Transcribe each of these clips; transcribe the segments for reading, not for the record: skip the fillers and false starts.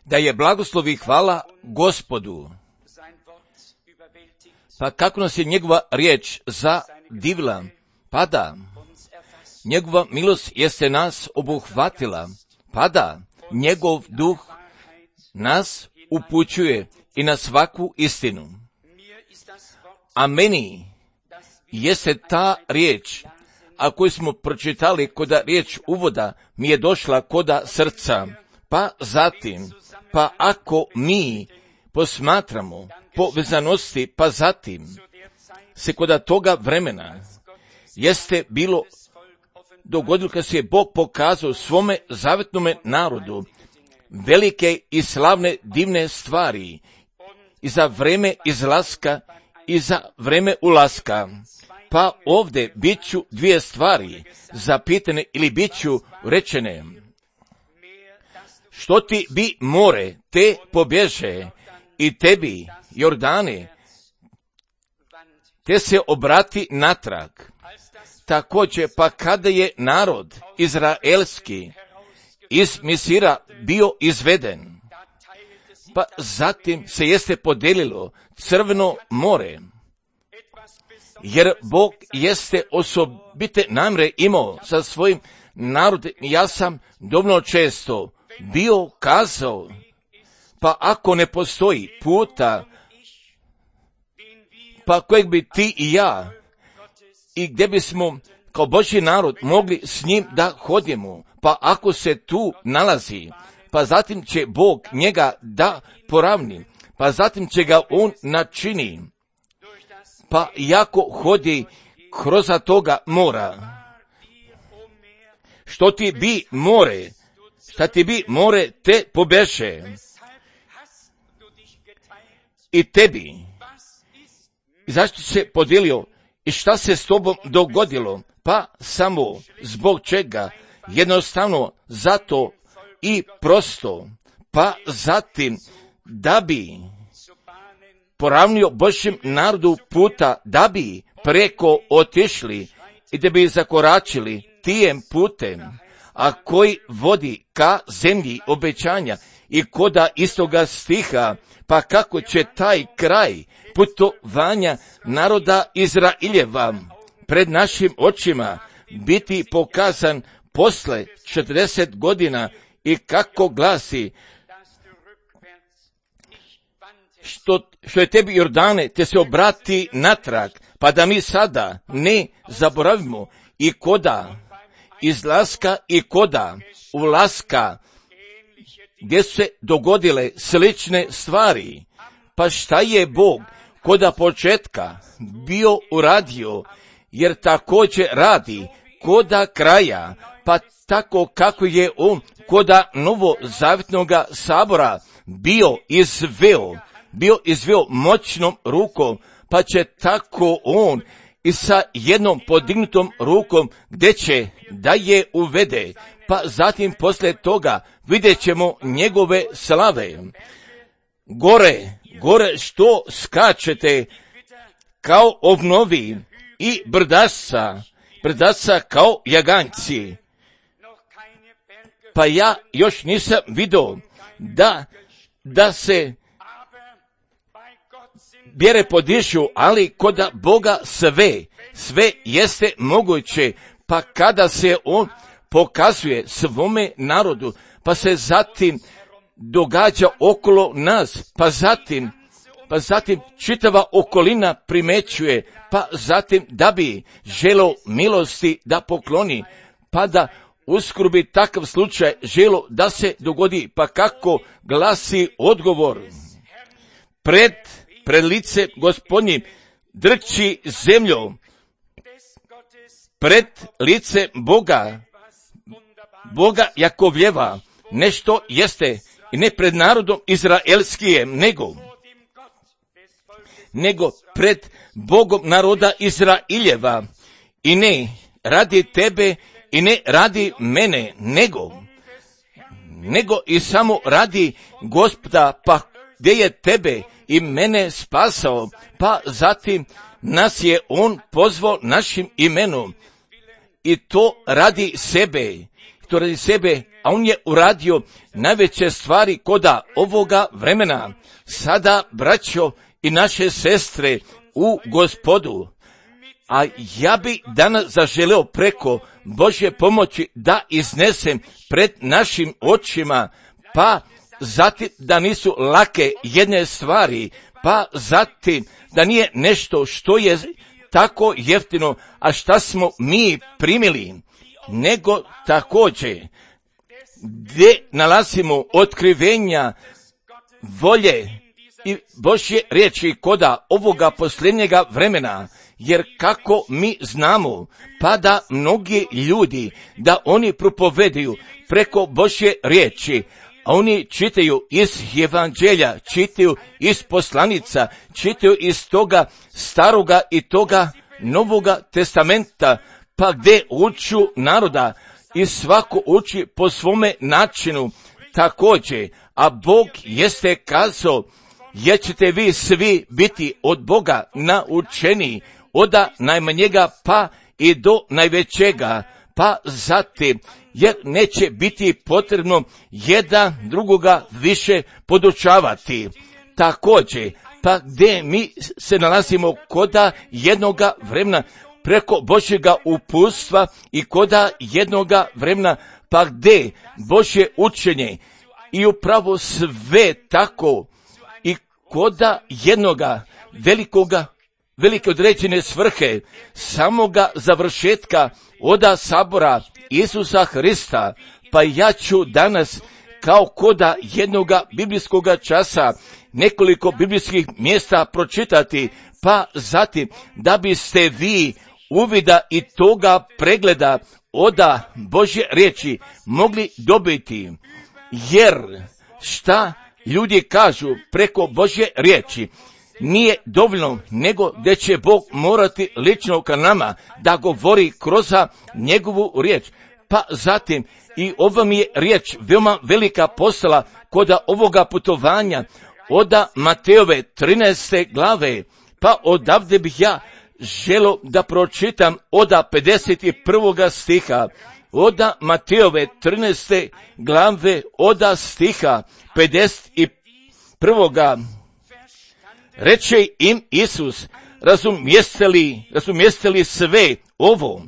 Da je blagoslov i hvala Gospodu. Pa kako nas je njegova riječ zadivila, pa da, njegova milost jeste nas obuhvatila, pa da, njegov duh nas upućuje i na svaku istinu. A meni jeste ta riječ, a koju smo pročitali koda riječ uvoda, mi je došla koda srca, pa zatim, pa ako mi posmatramo povezanosti, pa zatim se koda toga vremena jeste bilo dogodilo kad se je Bog pokazao svome zavetnome narodu velike i slavne divne stvari i za vreme izlaska i za vreme ulaska. Pa ovdje bit ću dvije stvari zapitane ili bit ću rečene. Što ti bi more te pobježe i tebi Jordane te se obrati natrag. Također pa kada je narod izraelski iz Misira bio izveden, pa zatim se jeste podelilo Crveno more, jer Bog jeste osobite namre imao sa svojim narodom. Ja sam dovoljno često bio kazao, pa ako ne postoji puta, pa kojeg bi ti i ja, i gdje bismo kao Božji narod mogli s njim da hodimo, pa ako se tu nalazi, pa zatim će Bog njega da poravni, pa zatim će ga on načini, pa jako hodi kroz toga mora. Što ti bi more, šta ti bi more te pobeše i tebi. I zašto se podijelio i šta se s tobom dogodilo? Pa samo zbog čega? Jednostavno zato i prosto, pa zatim da bi poravnio Božjem narodu puta, da bi preko otišli i da bi zakoračili tijem putem, a koji vodi ka zemlji obećanja i koda istoga stiha, pa kako će taj kraj putovanja naroda Izraeljeva pred našim očima biti pokazan posle 40 godina i kako glasi, što je tebi Jordane, te se obrati natrag, pa da mi sada ne zaboravimo i koda izlaska i koda ulaska, gdje su se dogodile slične stvari. Pa šta je Bog koda početka bio uradio, jer također radi koda kraja, pa tako kako je on koda novozavjetnoga sabora bio izveo moćnom rukom, pa će tako on i sa jednom podignutom rukom gdje će da je uvede, pa zatim poslije toga vidjet ćemo njegove slave. Gore što skačete kao ovnovi i brdaca kao jaganjci. Pa ja još nisam vidio da se bjere podišu, ali koda Boga sve jeste moguće, pa kada se on pokazuje svome narodu, pa se zatim događa okolo nas, pa zatim čitava okolina primećuje, pa zatim da bi želo milosti da pokloni, pa da uskoro bi takav slučaj želo da se dogodi, pa kako glasi odgovor. Pred lice Gospodnjim drči zemlju, pred lice Boga Jakovljeva, nešto jeste, i ne pred narodom izraelskijem, nego pred Bogom naroda Izraeljeva, i ne radi tebe i ne radi mene, nego i samo radi Gospoda, pa gdje je tebe i mene spasao, pa zatim nas je on pozvao našim imenom, i to radi sebe, to radi sebe, a on je uradio najveće stvari koda ovoga vremena. Sada, braćo i naše sestre u Gospodu, a ja bi danas zaželeo preko Božje pomoći da iznesem pred našim očima, pa zatim da nisu lake jedne stvari, pa zatim da nije nešto što je tako jeftino, a šta smo mi primili, nego također gdje nalazimo otkrivenja volje i Božje riječi koda ovoga posljednjega vremena, jer kako mi znamo, pa da mnogi ljudi, da oni propovedaju preko Božje riječi, a oni čitaju iz evanđelja, čitaju iz poslanica, čitaju iz toga staroga i toga novoga testamenta, pa gdje uču naroda i svako uči po svome načinu također, a Bog jeste kazao, jer ćete vi svi biti od Boga naučeni, od najmanjega pa i do najvećega, pa zatim, jer neće biti potrebno jedan drugoga više podučavati. Također, pa gdje mi se nalazimo koda jednoga vremena preko Božjega uputstva i koda jednoga vremena, pa gdje Božje učenje i upravo sve tako i koda jednoga velike određene svrhe, samoga završetka oda sabora Isusa Hrista, pa ja ću danas kao koda jednoga biblijskoga časa nekoliko biblijskih mjesta pročitati, pa zatim da biste vi uvida i toga pregleda oda Božje riječi mogli dobiti, jer šta ljudi kažu preko Božje riječi nije dovoljno, nego da će Bog morati lično ka nama da govori kroz njegovu riječ. Pa zatim i ova mi je riječ veoma velika postala koda ovoga putovanja oda Mateove 13. glave, pa odavde bih ja želo da pročitam oda 51. stiha, oda Mateove 13. glave oda stiha 51. Reče im Isus, razumijeste li sve ovo?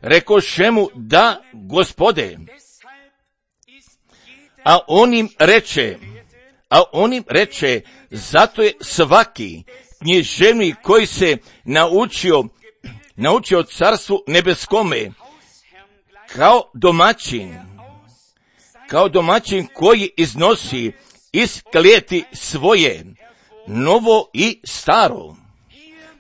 Rekoše mu, da, Gospode. A on im reče, zato je svaki književnik koji se naučio carstvu nebeskome, kao domaćin koji iznosi iz klijeti svoje, novo i staro.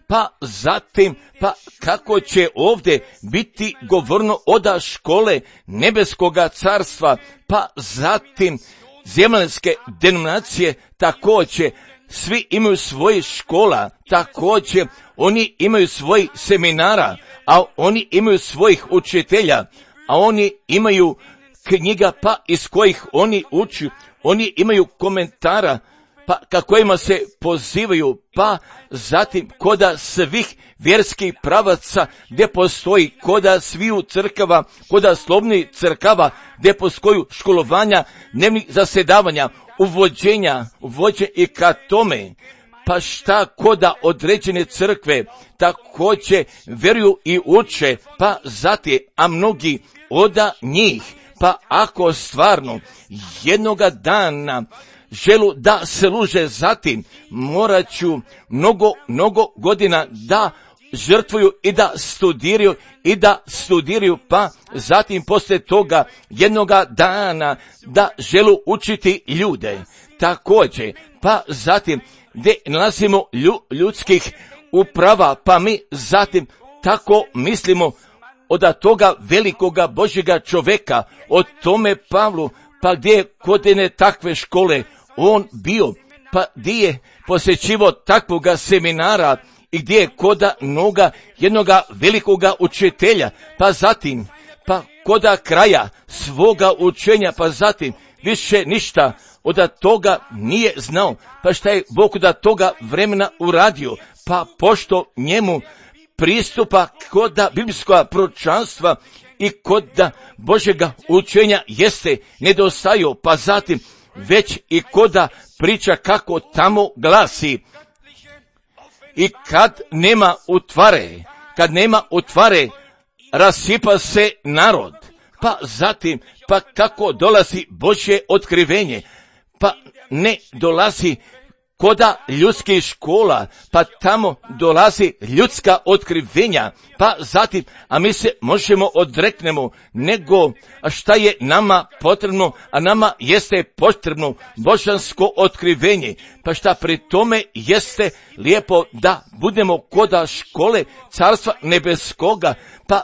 Pa zatim, pa kako će ovdje biti govorno oda škole nebeskoga carstva, pa zatim zemaljske denominacije također, svi imaju svoje škola, također oni imaju svoj seminara, a oni imaju svojih učitelja, a oni imaju knjiga pa iz kojih oni uči, oni imaju komentara, pa kojima se pozivaju, pa zatim koda svih vjerskih pravaca gdje postoji, koda sviju crkava, koda slovnih crkava gdje postoju školovanja, dnevnih zasjedavanja, uvođenja i ka tome, pa šta koda određene crkve također vjeruju i uče, pa zatim, a mnogi oda njih, pa ako stvarno jednoga dana želu da služe, zatim morat ću mnogo godina da žrtvuju i da studiraju, pa zatim poslije toga jednoga dana da želu učiti ljude. Također, pa zatim gdje nalazimo ljudskih uprava, pa mi zatim tako mislimo od toga velikoga Božjega čoveka, o tome Pavlu, pa gdje je kod jedne takve škole on bio, pa gdje je posjećivo takvoga seminara i gdje je koda jednoga velikoga učitelja, pa zatim, pa koda kraja svoga učenja, pa zatim više ništa od toga nije znao, pa šta je Bog od toga vremena uradio, pa pošto njemu pristupa koda biblijskoga proročanstva i koda Božega učenja jeste nedostaju, pa zatim već i koda priča kako tamo glasi. I kad nema utvare, rasipa se narod. Pa zatim, pa kako dolazi Božje otkrivenje, pa ne dolazi koda ljudskih škola, pa tamo dolazi ljudska otkrivenja, pa zatim, a mi se možemo odreknemo, nego šta je nama potrebno, a nama jeste potrebno božansko otkrivenje, pa šta pri tome jeste lijepo da budemo koda škole Carstva nebeskoga, pa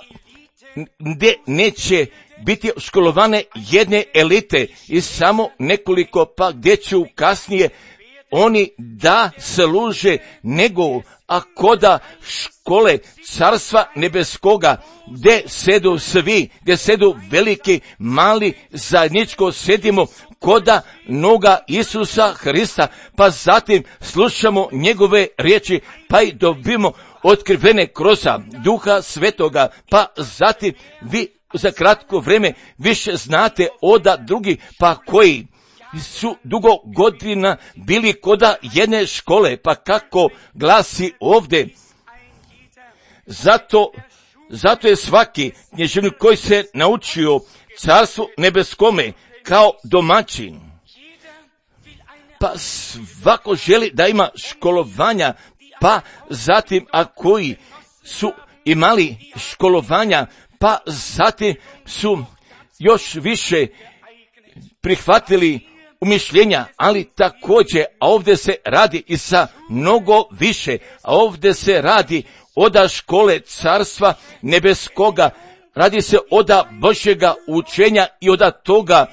gdje neće biti školovane jedne elite i samo nekoliko, pa gdje će kasnije oni da služe nego, a koda škole Carstva nebeskoga, gdje sedu svi, gdje sedu veliki, mali, zajedničko sedimo koda noga Isusa Hrista, pa zatim slušamo njegove riječi, pa i dobimo otkrivene kroz Duha Svetoga, pa zatim vi za kratko vrijeme više znate oda drugi, pa koji su dugo godina bili koda jedne škole, pa kako glasi ovdje. Zato je svaki knježevnik koji se naučio Carstvu nebeskome kao domaćin, pa svako želi da ima školovanja, pa zatim a koji su imali školovanja, pa zatim su još više prihvatili umišljenja, ali također, a ovdje se radi i sa mnogo više, a ovdje se radi oda škole Carstva nebeskoga, radi se oda Božjega učenja i oda toga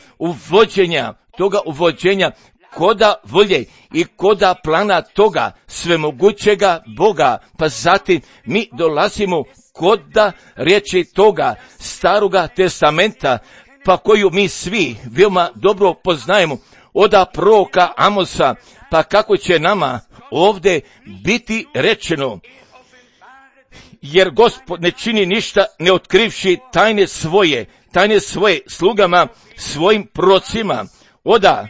uvođenja koda volje i koda plana toga svemogućega Boga, pa zatim mi dolazimo koda riječi toga Staroga testamenta, pa koju mi svi veoma dobro poznajemo, oda proroka Amosa, pa kako će nama ovdje biti rečeno, jer Gospod ne čini ništa ne otkrivši tajne svoje slugama, svojim prorocima. Oda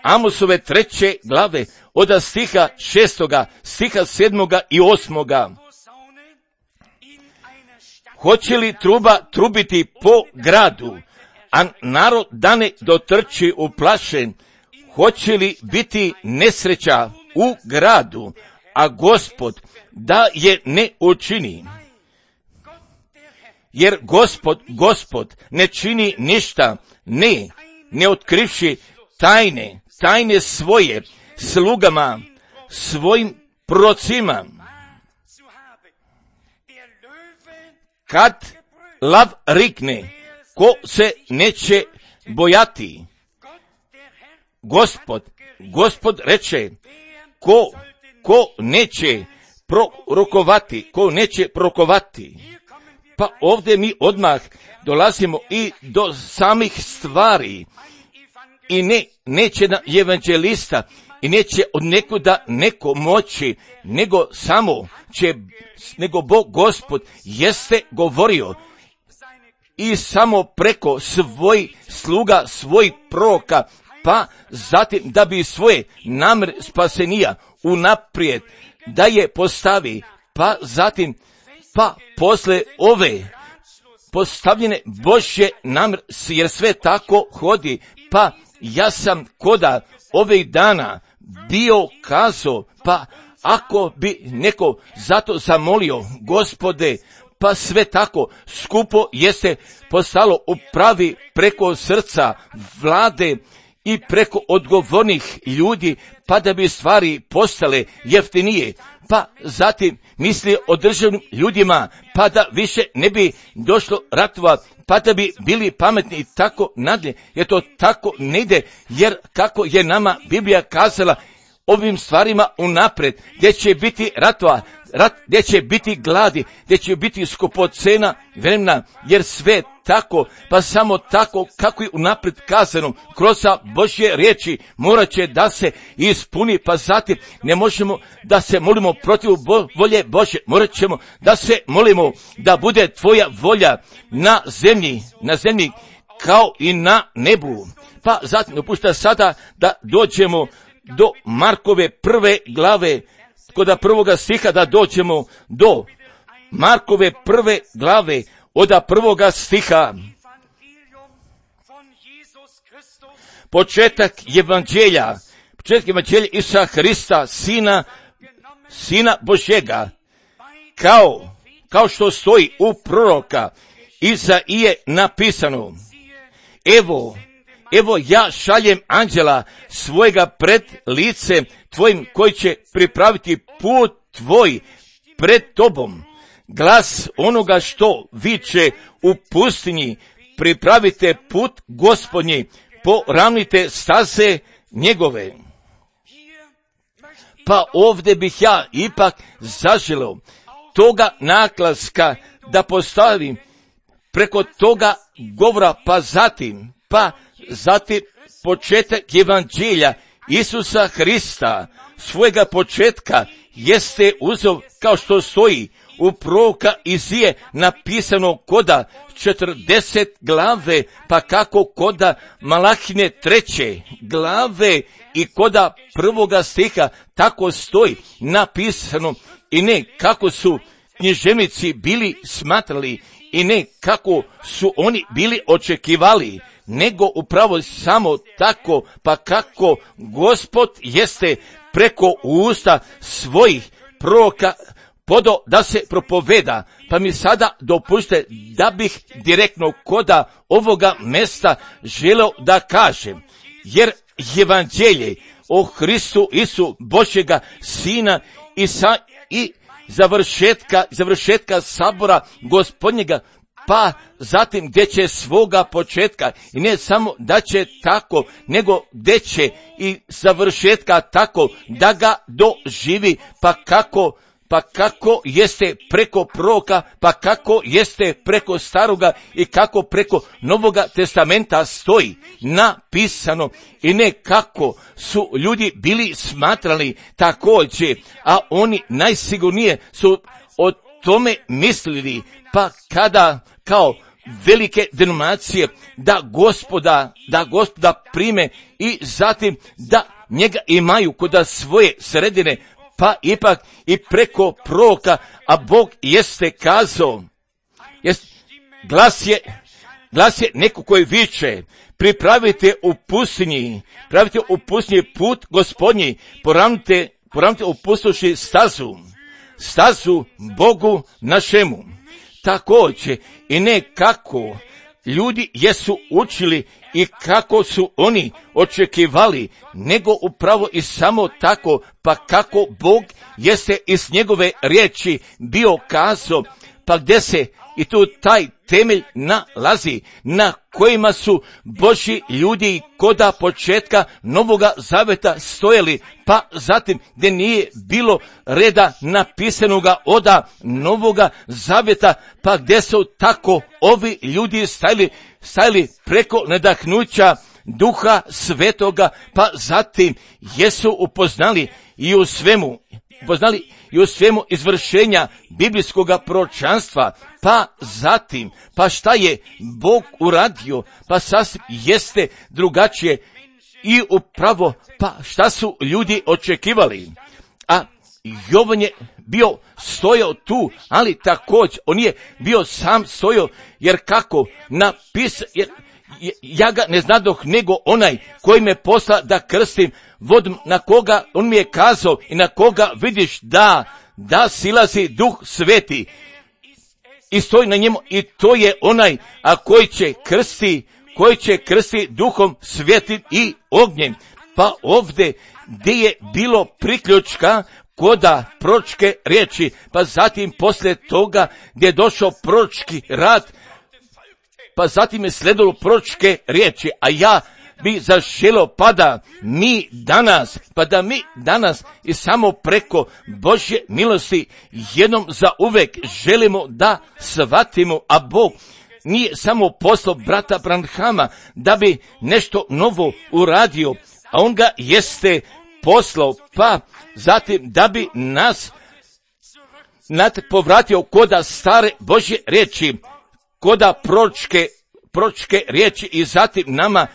Amosove 3. glave, oda stiha 6., stiha 7. i 8. Hoće li truba trubiti po gradu, a narod da ne dotrči uplašen? Hoće li biti nesreća u gradu, a Gospod da je ne učini? Jer Gospod ne čini ništa, ne otkrivši tajne svoje slugama, svojim prorocima. Kad lav rikne, ko se neće bojati? Gospod reče, ko neće prorokovati. Pa ovdje mi odmah dolazimo i do samih stvari. I neće na evanđelista i neće od nekuda neko moći, nego Bog Gospod jeste govorio i samo preko svojih sluga, svojih proroka, pa zatim da bi svoje namjere spasenija unaprijed da je postavi, pa zatim, pa posle ove postavljene Božje namjere, jer sve tako hodi, pa ja sam koda ovih dana bio kazao, pa ako bi neko zato zamolio, Gospode, pa sve tako skupo jeste postalo u pravi preko srca vlade i preko odgovornih ljudi, pa da bi stvari postale jeftinije, pa zatim misli o državnim ljudima, pa da više ne bi došlo ratova, pa da bi bili pametni i tako nadalje, jer to tako ne ide, jer kako je nama Biblija kazala ovim stvarima unaprijed, gdje će biti ratova, rat gdje će biti gladi, gdje će biti skupocena vremena, jer sve tako, pa samo tako kako je unaprijed kazano kroz Božje riječi morat će da se ispuni, pa zatim ne možemo da se molimo protiv volje Božje, morat ćemo da se molimo da bude tvoja volja na zemlji kao i na nebu. Pa zatim dopušta sada da dođemo do Markove 1. glave, kod 1. stiha da dođemo do Markove 1. glave, od 1. stiha. Početak evanđelja Isusa Hrista, Sina Božjega, kao što stoji u proroka Izaije napisano: Evo ja šaljem anđela svojega pred lice tvojim, koji će pripraviti put tvoj pred tobom. Glas onoga što viče u pustinji, pripravite put Gospodnji, poravnite staze njegove. Pa ovdje bih ja ipak zaželeo toga naglaska da postavim preko toga govora, pa zatim početak evanđelja Isusa Hrista, svojega početka jeste uzeo, kao što stoji u proroka Izije napisano koda 40 glave, pa kako koda Malahine 3. glave i koda 1. stiha, tako stoji napisano, i ne kako su književnici bili smatrali, i ne kako su oni bili očekivali, nego upravo samo tako, pa kako Gospod jeste preko usta svojih proroka podo da se propoveda. Pa mi sada dopustite da bih direktno koda ovoga mesta želeo da kažem, jer evanđelje o Hristu Isu Božjega Sina i završetka sabora Gospodnjega, pa zatim gdje će svoga početka, i ne samo da će tako, nego gdje će i završetka tako da ga doživi, pa kako jeste preko proroka, pa kako jeste preko staroga i kako preko Novoga testamenta stoji napisano, i ne kako su ljudi bili smatrali također, a oni najsigurnije su o tome mislili, pa kada kao velike denominacije da gospoda prime i zatim da njega imaju kod svoje sredine, pa ipak i preko proroka, a Bog jeste kazao, glas je neko koji viče: pripravite u pustinji put Gospodnji, poravnite u pustoši stazu Bogu našemu. Također i ne kako ljudi jesu učili i kako su oni očekivali, nego upravo i samo tako, pa kako Bog jeste iz njegove riječi bio kazao, pa gdje se i tu taj temelj nalazi, na kojima su Božji ljudi koda početka Novoga Zaveta stojali, pa zatim gdje nije bilo reda napisanoga oda Novoga Zaveta, pa gdje su tako ovi ljudi stajali preko nadahnuća Duha Svetoga, pa zatim jesu upoznali i u svemu izvršenja biblijskoga proročanstva, pa zatim, pa šta je Bog uradio, pa sasvim jeste drugačije i upravo, pa šta su ljudi očekivali. A Jovan je bio stojao tu, ali također on je bio sam stojao, jer kako ja ga ne znadoh nego onaj koji me posla da krstim vodom, na koga on mi je kazao i na koga vidiš da silazi Duh Sveti i stoji na njemu, i to je onaj koji će krsti Duhom Svetim i ognjem. Pa ovdje gdje je bilo priključka koda proročke riječi, pa zatim poslije toga gdje je došao proročki rad, pa zatim je sledilo proročke riječi, a ja bi zaželo pa da mi danas i samo preko Božje milosti jednom za uvek želimo da shvatimo, a Bog nije samo poslao brata Branhama da bi nešto novo uradio, a on ga jeste poslao, pa zatim da bi nas povratio koda stare Božje riječi, koda proročke riječi i zatim nama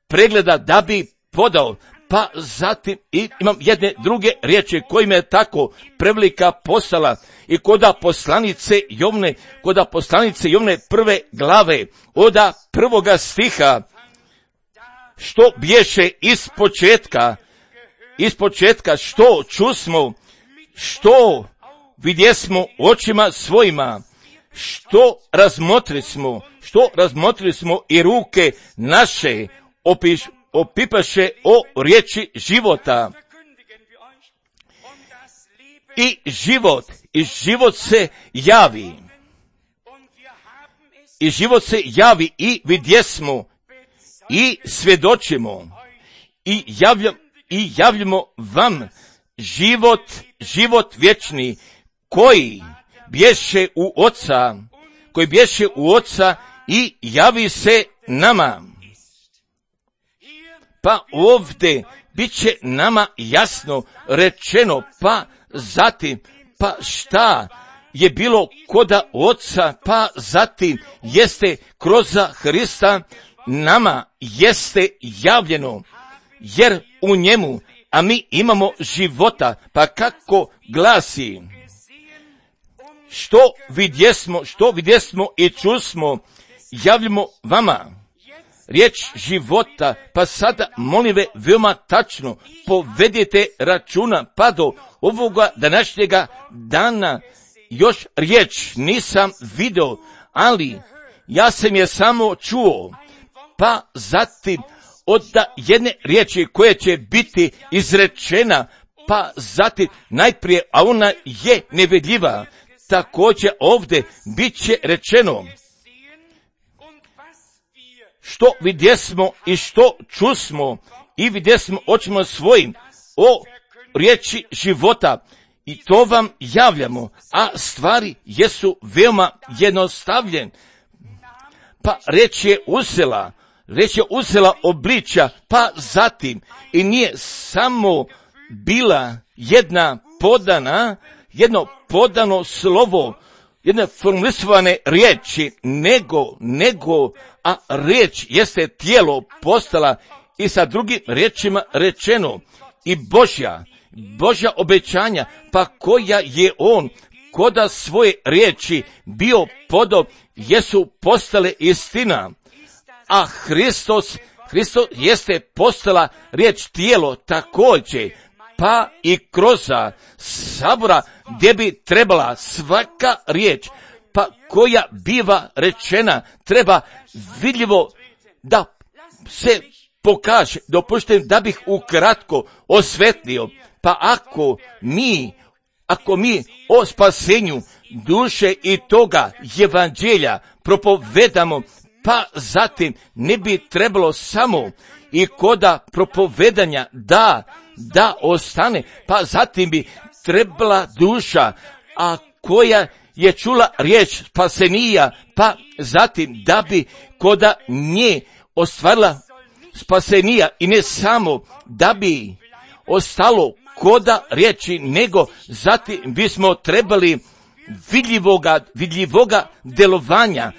pregleda da bi podao, pa zatim i imam jedne druge riječi kojima je tako prevelika postala i koda poslanice Jovne prve glave, oda prvoga stiha, što bješe iz početka, što čusmo, što vidjesmo očima svojima, što razmotrili smo i ruke naše opipaše o riječi života. I život se javi. I vidjesmo i svjedočimo i javljamo vam život vječni koji bješe u Oca i javi se nama. Pa ovdje bit će nama jasno rečeno, pa zatim, pa šta je bilo koda Oca, pa zatim jeste kroz Hrista nama jeste javljeno, jer u njemu, a mi imamo života, pa kako glasi, što vidjesmo i čusmo, javljamo vama. Riječ života, pa sada molim ve veoma tačno povedite računa, pa do ovoga današnjega dana još riječ nisam video, ali ja sam je samo čuo, pa zatim od jedne riječi koja će biti izrečena, pa zatim najprije, a ona je nevidljiva, također ovdje bit će rečeno, što vidjesmo i što čusmo i vidjesmo očima svojim o riječi života i to vam javljamo, a stvari jesu veoma jednostavljene. Pa riječ je uzela obličja, pa zatim i nije samo bila jedno podano slovo, jedne formulisovane riječi, nego, a riječ jeste tijelo postala i sa drugim riječima rečeno i Božja obećanja, pa koja je on koda svoje riječi bio podao, jesu postale istina, a Hristos jeste postala riječ tijelo također, pa i kroz sabora gdje bi trebala svaka riječ, pa koja biva rečena, treba vidljivo da se pokaže. Dopuštam da bih ukratko osvetlio, pa ako mi o spasenju duše i toga evanđelja propovedamo, pa zatim ne bi trebalo samo i koda propovedanja da ostane, pa zatim bi trebala duša, a koja je čula riječ spasenija, pa zatim da bi koda nje ostvarila spasenija i ne samo da bi ostalo koda riječi, nego zatim bismo trebali vidljivoga delovanja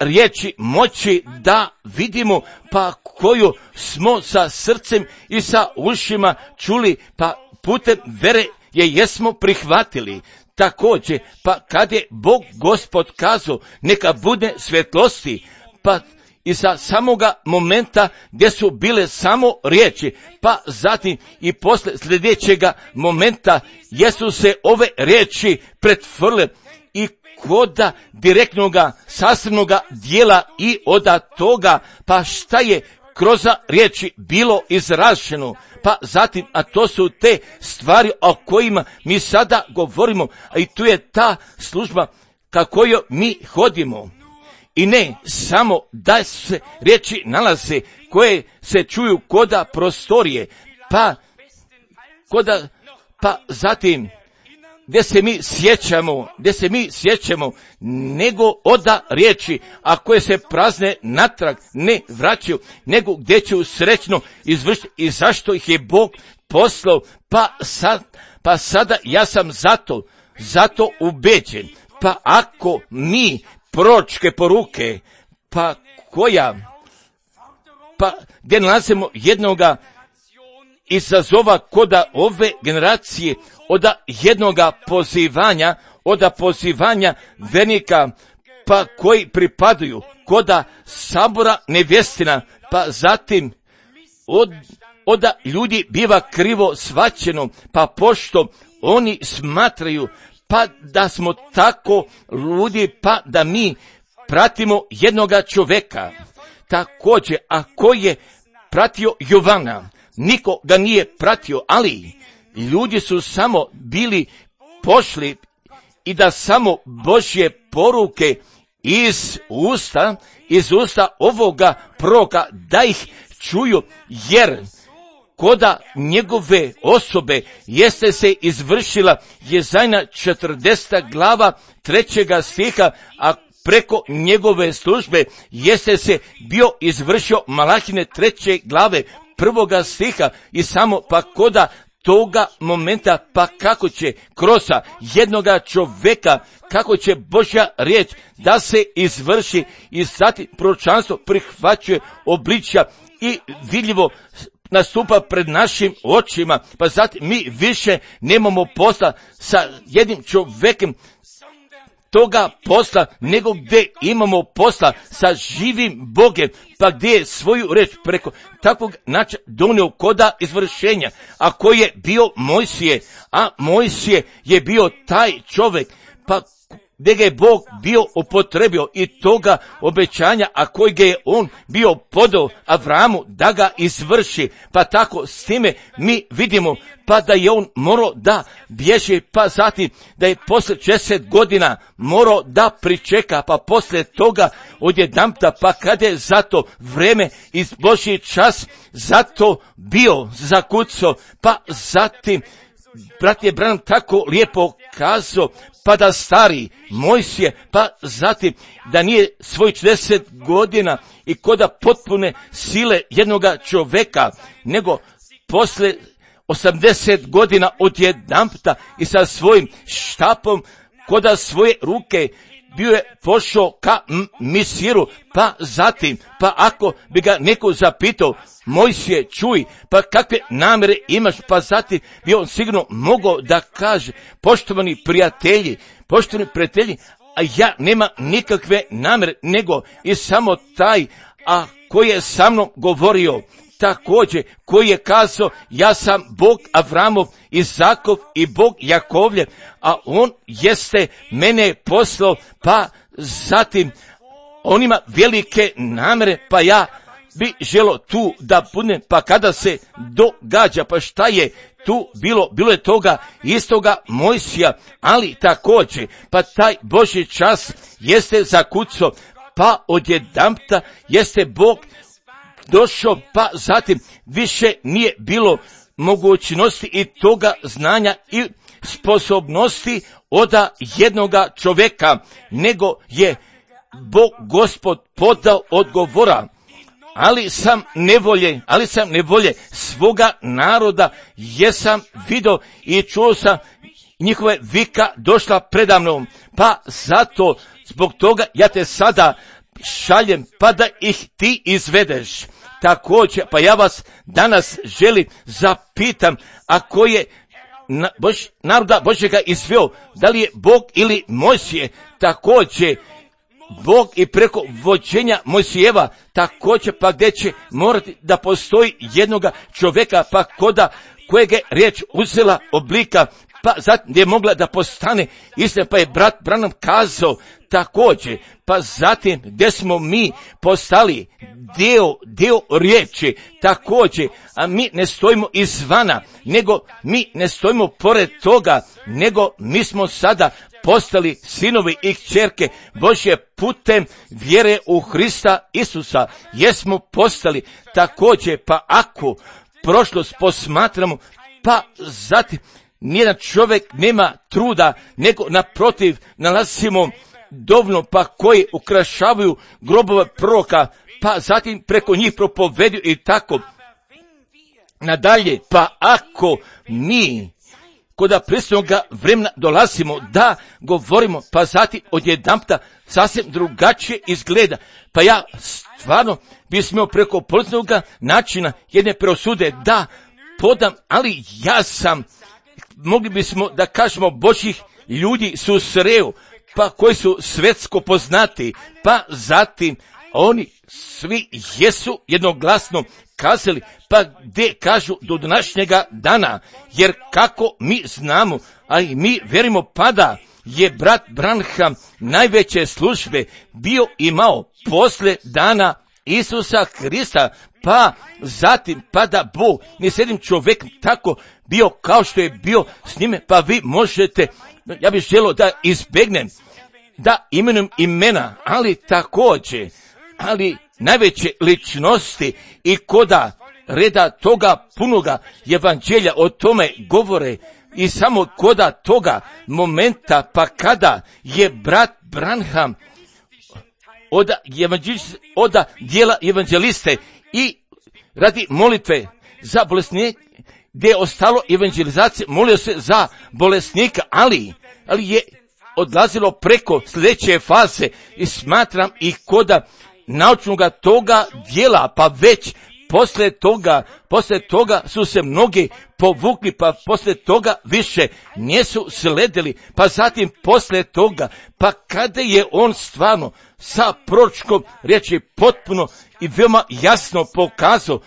riječi moći da vidimo, pa koju smo sa srcem i sa ušima čuli, pa putem vere je jesmo prihvatili. Također, pa kad je Bog Gospod kazao neka bude svjetlosti, pa i sa samoga momenta gdje su bile samo riječi, pa zatim i posle sljedećega momenta jesu se ove riječi pretvorile i koda direktnoga sastavnoga dijela i od toga, pa šta je kroz riječi bilo izraženo, pa zatim, a to su te stvari o kojima mi sada govorimo, a i tu je ta služba kako mi hodimo. I ne samo da se riječi nalaze koje se čuju koda prostorije, pa zatim gdje se mi sjećamo, nego oda riječi, a koje se prazne natrag ne vraćaju, nego gdje će srećno izvršiti i zašto ih je Bog poslao, pa sada ja sam zato ubeđen, pa ako mi proročke poruke, gdje nalazimo jednoga izazova koda ove generacije, od pozivanja vernika, pa koji pripadaju koda sabora nevjestina, pa zatim od ljudi biva krivo shvaćeno, pa pošto oni smatraju pa da smo tako ludi, pa da mi pratimo jednoga čovjeka. Također, a koji je pratio Jovana, niko ga nije pratio, ali ljudi su samo bili pošli i da samo Božje poruke iz usta ovoga proroka da ih čuju, jer koda njegove osobe jeste se izvršila Jezajna 40. glava 3. stiha, a preko njegove službe jeste se bio izvršio Malahine 3. glave 1. stiha i samo pa koda toga momenta, pa kako će kroz jednoga čovjeka, kako će Božja riječ da se izvrši i zatim proročanstvo prihvaćuje obličja i vidljivo nastupa pred našim očima, pa zatim mi više nemamo posla sa jednim čovjekom toga posla, nego gdje imamo posla sa živim Bogem, pa gdje je svoju reč preko takvog načina donio koda izvršenja, a koji je bio Mojsije, a Mojsije je bio taj čovjek, pa gdje ga je Bog bio upotrebio i toga obećanja, a koji ga je on bio podao Avramu da ga izvrši, pa tako s time mi vidimo, pa da je on morao da bježi, pa zatim da je poslije 10 godina morao da pričeka, pa poslije toga odjedanput, pa kada je zato vreme iz Božji čas zato bio zakucao, pa zatim brat je Branham tako lijepo kazao, pa da stari Mojsije, pa zatim da nije svoj 40 godina i koda potpune sile jednoga čovjeka, nego posle 80 godina odjedanputa i sa svojim štapom koda svoje ruke bio je pošao ka Misiru, pa zatim, pa ako bi ga neko zapitao, Mojsije, čuj, pa kakve namjere imaš, pa zatim bi on sigurno mogao da kaže, poštovani prijatelji, a ja nema nikakve namjere, nego i samo taj, a koji je sa mnom govorio, također, koji je kazao, ja sam Bog Avramov, Izakov i Bog Jakovljev, a on jeste mene poslao, pa zatim on ima velike namjere, pa ja bi želo tu da budem, pa kada se događa, pa šta je tu bilo je toga istoga Mojsija, ali također, pa taj Božji čas jeste zakucao, pa odjedanputa jeste Bog došao, pa zatim više nije bilo mogućnosti i toga znanja i sposobnosti od jednoga čovjeka, nego je Bog Gospod podao odgovora. Ali sam nevolje svoga naroda jesam vidio i čuo sam njihove vika došla predamnom, pa zato zbog toga ja te sada šaljem, pa da ih ti izvedeš. Također, pa ja vas danas želim zapitam, ako je naroda Božjega izveo, da li je Bog ili Mojsije, također Bog i preko vođenja Mojsijeva, također pa gdje će morati da postoji jednoga čovjeka, pa kojeg je riječ uzela oblika, pa zatim gdje je mogla da postane istina, pa je brat Branham kazao također, pa zatim gdje smo mi postali dio riječi, također, a mi ne stojimo izvana, nego mi ne stojimo pored toga, nego mi smo sada postali sinovi i kćerke Božje putem vjere u Hrista Isusa. Jesmo postali također, pa ako prošlost posmatramo, pa zatim nijedan čovjek nema truda, nego naprotiv nalazimo dovoljno pa koji ukrašavaju grobove proroka, pa zatim preko njih propoveduju i tako nadalje. Pa ako mi kod pristojnoga vremena dolazimo da govorimo, pa zatim odjedanputa sasvim drugačije izgleda. Pa ja stvarno bismo preko pozitivnoga načina jedne preosude da podam, ali ja sam, mogli bismo da kažemo, Božjih ljudi su sreo, pa koji su svetsko poznati, pa zatim oni svi jesu jednoglasno kazali, pa gdje kažu do današnjega dana, jer kako mi znamo, a i mi verimo, pada je brat Branham najveće službe bio imao posle dana Isusa Hrista, pa zatim pada Bog, ni s jednim čovjekom tako bio kao što je bio s njime, pa vi možete, ja bih želio da izbjegnem, da imenujem imena, ali također, ali najveće ličnosti i koda reda toga punoga evanđelja o tome govore i samo koda toga momenta, pa kada je brat Branham od dijela evanđeliste i radi molitve za bolesnike, gdje je ostalo evangelizacije, molio se za bolesnika, ali je odlazilo preko sljedeće faze i smatram ih koda naučnoga toga dijela, pa već poslije toga su se mnogi povukli, pa poslije toga više nisu sledili, pa zatim poslije toga, pa kada je on stvarno sa proročkom riječi potpuno i veoma jasno pokazao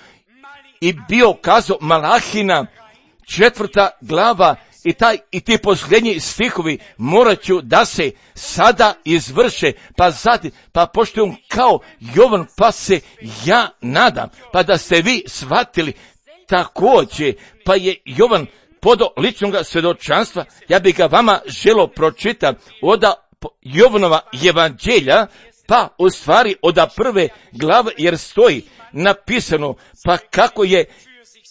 i bio kazao Malahina 4. glava i ti posljednji stihovi morat ću da se sada izvrše, pa zatim, pa pošto je on kao Jovan, pa se ja nadam, pa da ste vi shvatili također, pa je Jovan podao ličnog svjedočanstva, ja bih ga vama želio pročitati od Jovanova evanđelja, pa u stvari od 1. glave, jer stoji napisano, pa kako je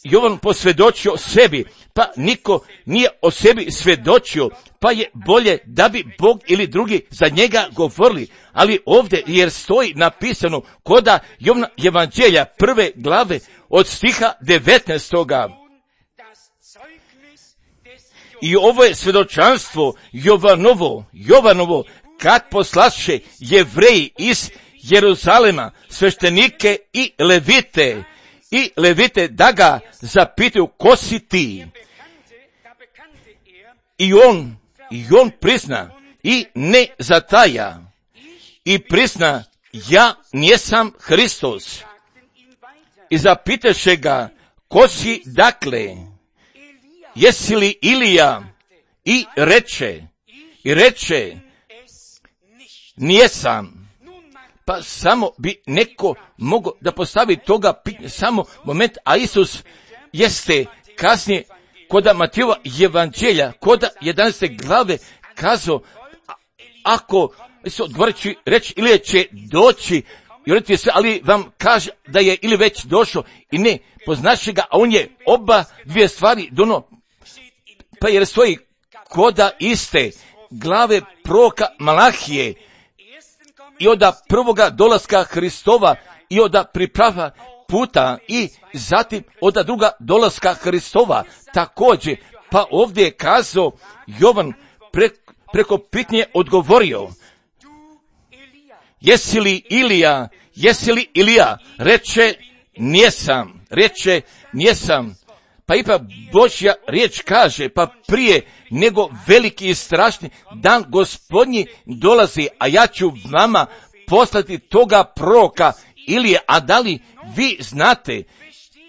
Jovan posvjedočio sebi, pa niko nije o sebi svjedočio, pa je bolje da bi Bog ili drugi za njega govorili, ali ovdje jer stoji napisano koda Jovana evanđelja 1. glave od stiha 19. I ovo je svjedočanstvo Jovanovo, kad poslaše Jevreji iz Jeruzalema sveštenike i levite da ga zapitaju ko si ti. I on prizna i ne zataja i prizna, ja nisam Hristos. I zapitaše ga, ko si dakle, jesi li Ilija? I reče, nisam. Pa samo bi neko mogao da postavi toga pitanja, samo moment, a Isus jeste kasnije koda Matijeva evanđelja, koda 11. glave kazao, ako se odgovarajući reći ili će doći, i se, ali vam kaže da je ili već došao i ne poznaše ga, a on je oba dvije stvari dono, pa jer stoji koda iste glave proroka Malahije, i od prvoga dolaska Hristova i od priprava puta i zatim od druga dolaska Hristova također, pa ovdje je kazao Jovan preko pitnje odgovorio, jesi li Ilija? Reče, nijesam. Pa ipak Božja riječ kaže, pa prije nego veliki i strašni dan Gospodnji dolazi, a ja ću vama poslati toga proroka Ilije, a da li vi znate,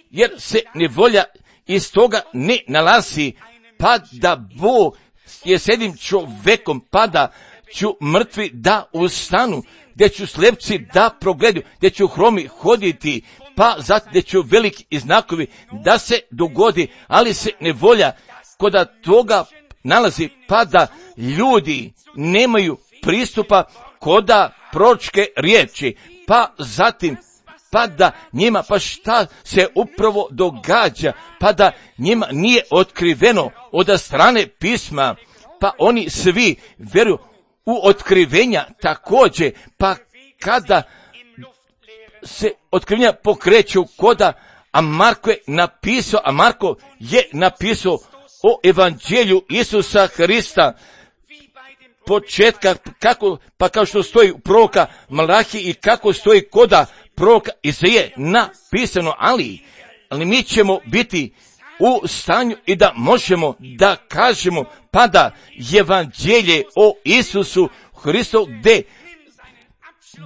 jer se nevolja iz toga ne nalazi, pa da Bog je s jednim čovjekom, pa da ću mrtvi da ustanu, gdje ću slepci da progledaju, gdje ću hromi hoditi, pa zatim gdje ću veliki znakovi da se dogodi, ali se nevolja koda toga nalazi, pa da ljudi nemaju pristupa koda proročke riječi, pa zatim pa da njima, pa šta se upravo događa, pa da njima nije otkriveno od strane pisma, pa oni svi vjeruju u otkrivenja također, pa kada se otkrivenja pokreću koda, a Marko je napisao o evanđelju Isusa Hrista, početka, kako, pa kao što stoji u proroka Malahi i kako stoji koda proroka Izaije napisano, ali mi ćemo biti u stanju i da možemo da kažemo, pa da evanđelje o Isusu Hristu gdje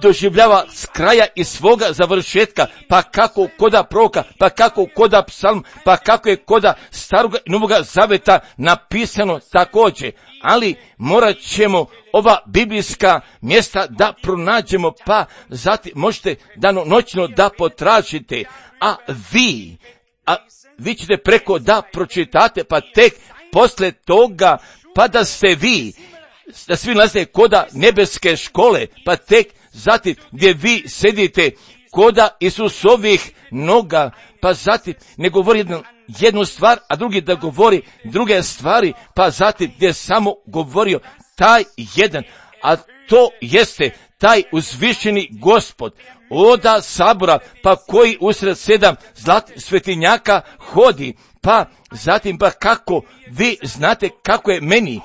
doživljava s kraja i svoga završetka, pa kako koda proroka, pa kako koda psalm, pa kako je koda staroga i novoga zaveta napisano također, ali morat ćemo ova biblijska mjesta da pronađemo, pa zatim možete danonoćno da potražite, a vi ćete preko da pročitate, pa tek posle toga, pa da ste vi, da svi nalazite koda nebeske škole, pa tek zatim gdje vi sedite koda Isusovih noga, pa zatim ne govori jednu stvar, a drugi da govori druge stvari, pa zatim gdje samo govorio taj jedan, a to jeste taj uzvišeni Gospod oda sabora, pa koji usred 7 zlatih svetinjaka hodi, pa zatim pa kako vi znate kako je meni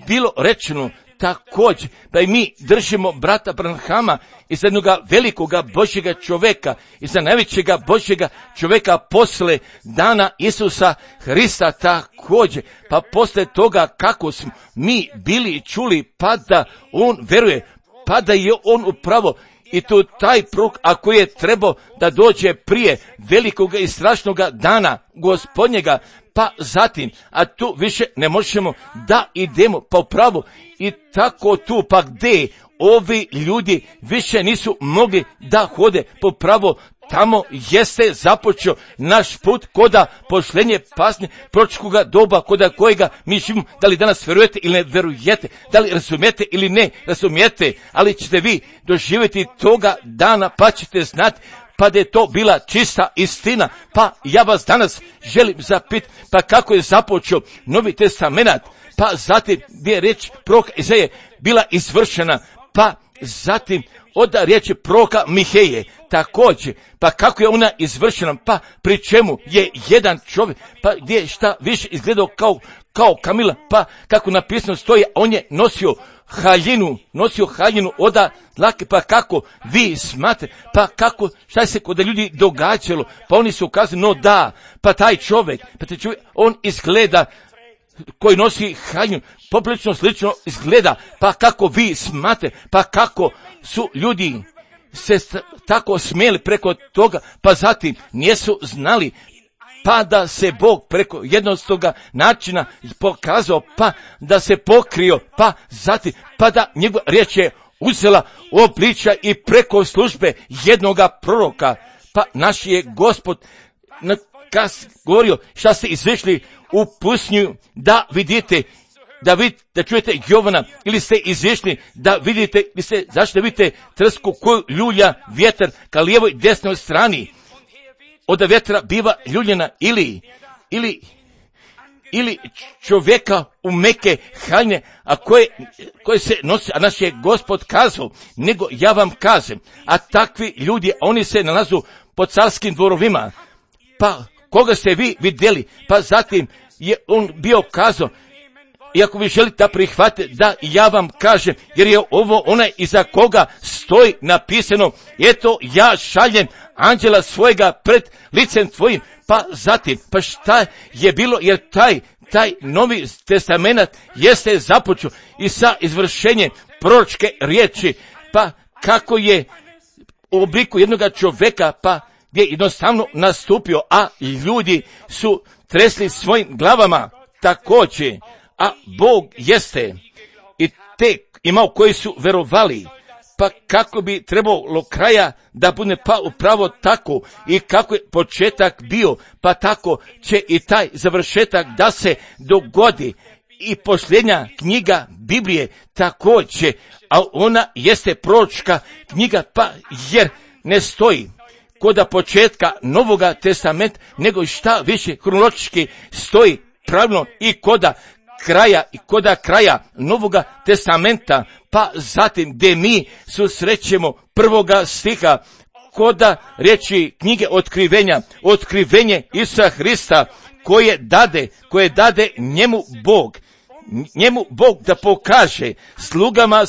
bilo rečeno također, da i mi držimo brata Branhama i za jednoga velikoga Božjega čovjeka i za najvećega Božjega čovjeka posle dana Isusa Hrista također, pa posle toga kako smo mi bili čuli, pa da on veruje, pa da je on upravo i to taj prorok, ako je trebao da dođe prije velikoga i strašnoga dana Gospodnjega, pa zatim, a tu više ne možemo da idemo pa upravo i tako tu, pa gdje ovi ljudi više nisu mogli da hode po pravo, tamo jeste započeo naš put koda pošlenje pasnje proročkoga doba koda kojega mi živimo. Da li danas vjerujete ili ne vjerujete, da li razumijete ili ne razumijete, ali ćete vi doživjeti toga dana, pa ćete znati pa da je to bila čista istina. Pa ja vas danas želim zapitati, pa kako je započeo Novi testament, pa zatim gdje je riječ proroka Izaije bila izvršena, pa zatim od riječi proroka Miheje također, pa kako je ona izvršena, pa pri čemu je jedan čovjek, pa gdje je šta više izgledao kao kamila, pa kako napisano stoji, on je nosio haljinu od dlake, pa kako vi smatrate, pa kako, šta je se kod ljudi događalo, pa oni su ukazali, no da, pa taj čovjek, on izgleda, koji nosi haljinu, poprilično slično izgleda, pa kako vi smatrate, pa kako su ljudi se tako smijeli preko toga, pa zatim nisu znali, pa da se Bog preko jednostavnog načina pokazao, pa da se pokrio, pa zatim, pa da njegova riječ je uzela obličja i preko službe jednoga proroka, pa naš je Gospod govorio šta ste izišli u pustinju da vidite, da čujete Jovana, ili ste izišli da vidite, zašto vidite trsku koju ljulja vjetar ka lijevoj desnoj strani, od vjetra biva ljuljena ili čovjeka u meke haljine, a koje se nosi, a naš je Gospod kazao, nego ja vam kažem, a takvi ljudi, oni se nalazu po carskim dvorovima, pa koga ste vi vidjeli, pa zatim je on bio kazao, i ako vi želite da prihvatite, da ja vam kažem, jer je ovo onaj iza koga stoji napisano, eto ja šaljem anđela svojega pred licem tvojim, pa zatim, pa šta je bilo, jer taj Novi testament jeste započeo i sa izvršenjem proročke riječi, pa kako je u obliku jednog čovjeka, pa gdje je jednostavno nastupio, a ljudi su tresli svojim glavama također, a Bog jeste i te imao koji su verovali, pa kako bi trebalo kraja da bude pa upravo tako i kako je početak bio, pa tako će i taj završetak da se dogodi i posljednja knjiga Biblije također, a ona jeste proročka knjiga, pa jer ne stoji koda početka Novoga testamenta, nego šta više kronologički stoji pravilno i koda kraja Novoga testamenta, pa zatim gdje mi susrećemo prvoga stiha koda riječi knjige otkrivenje Isusa Hrista koje dade njemu Bog da pokaže slugama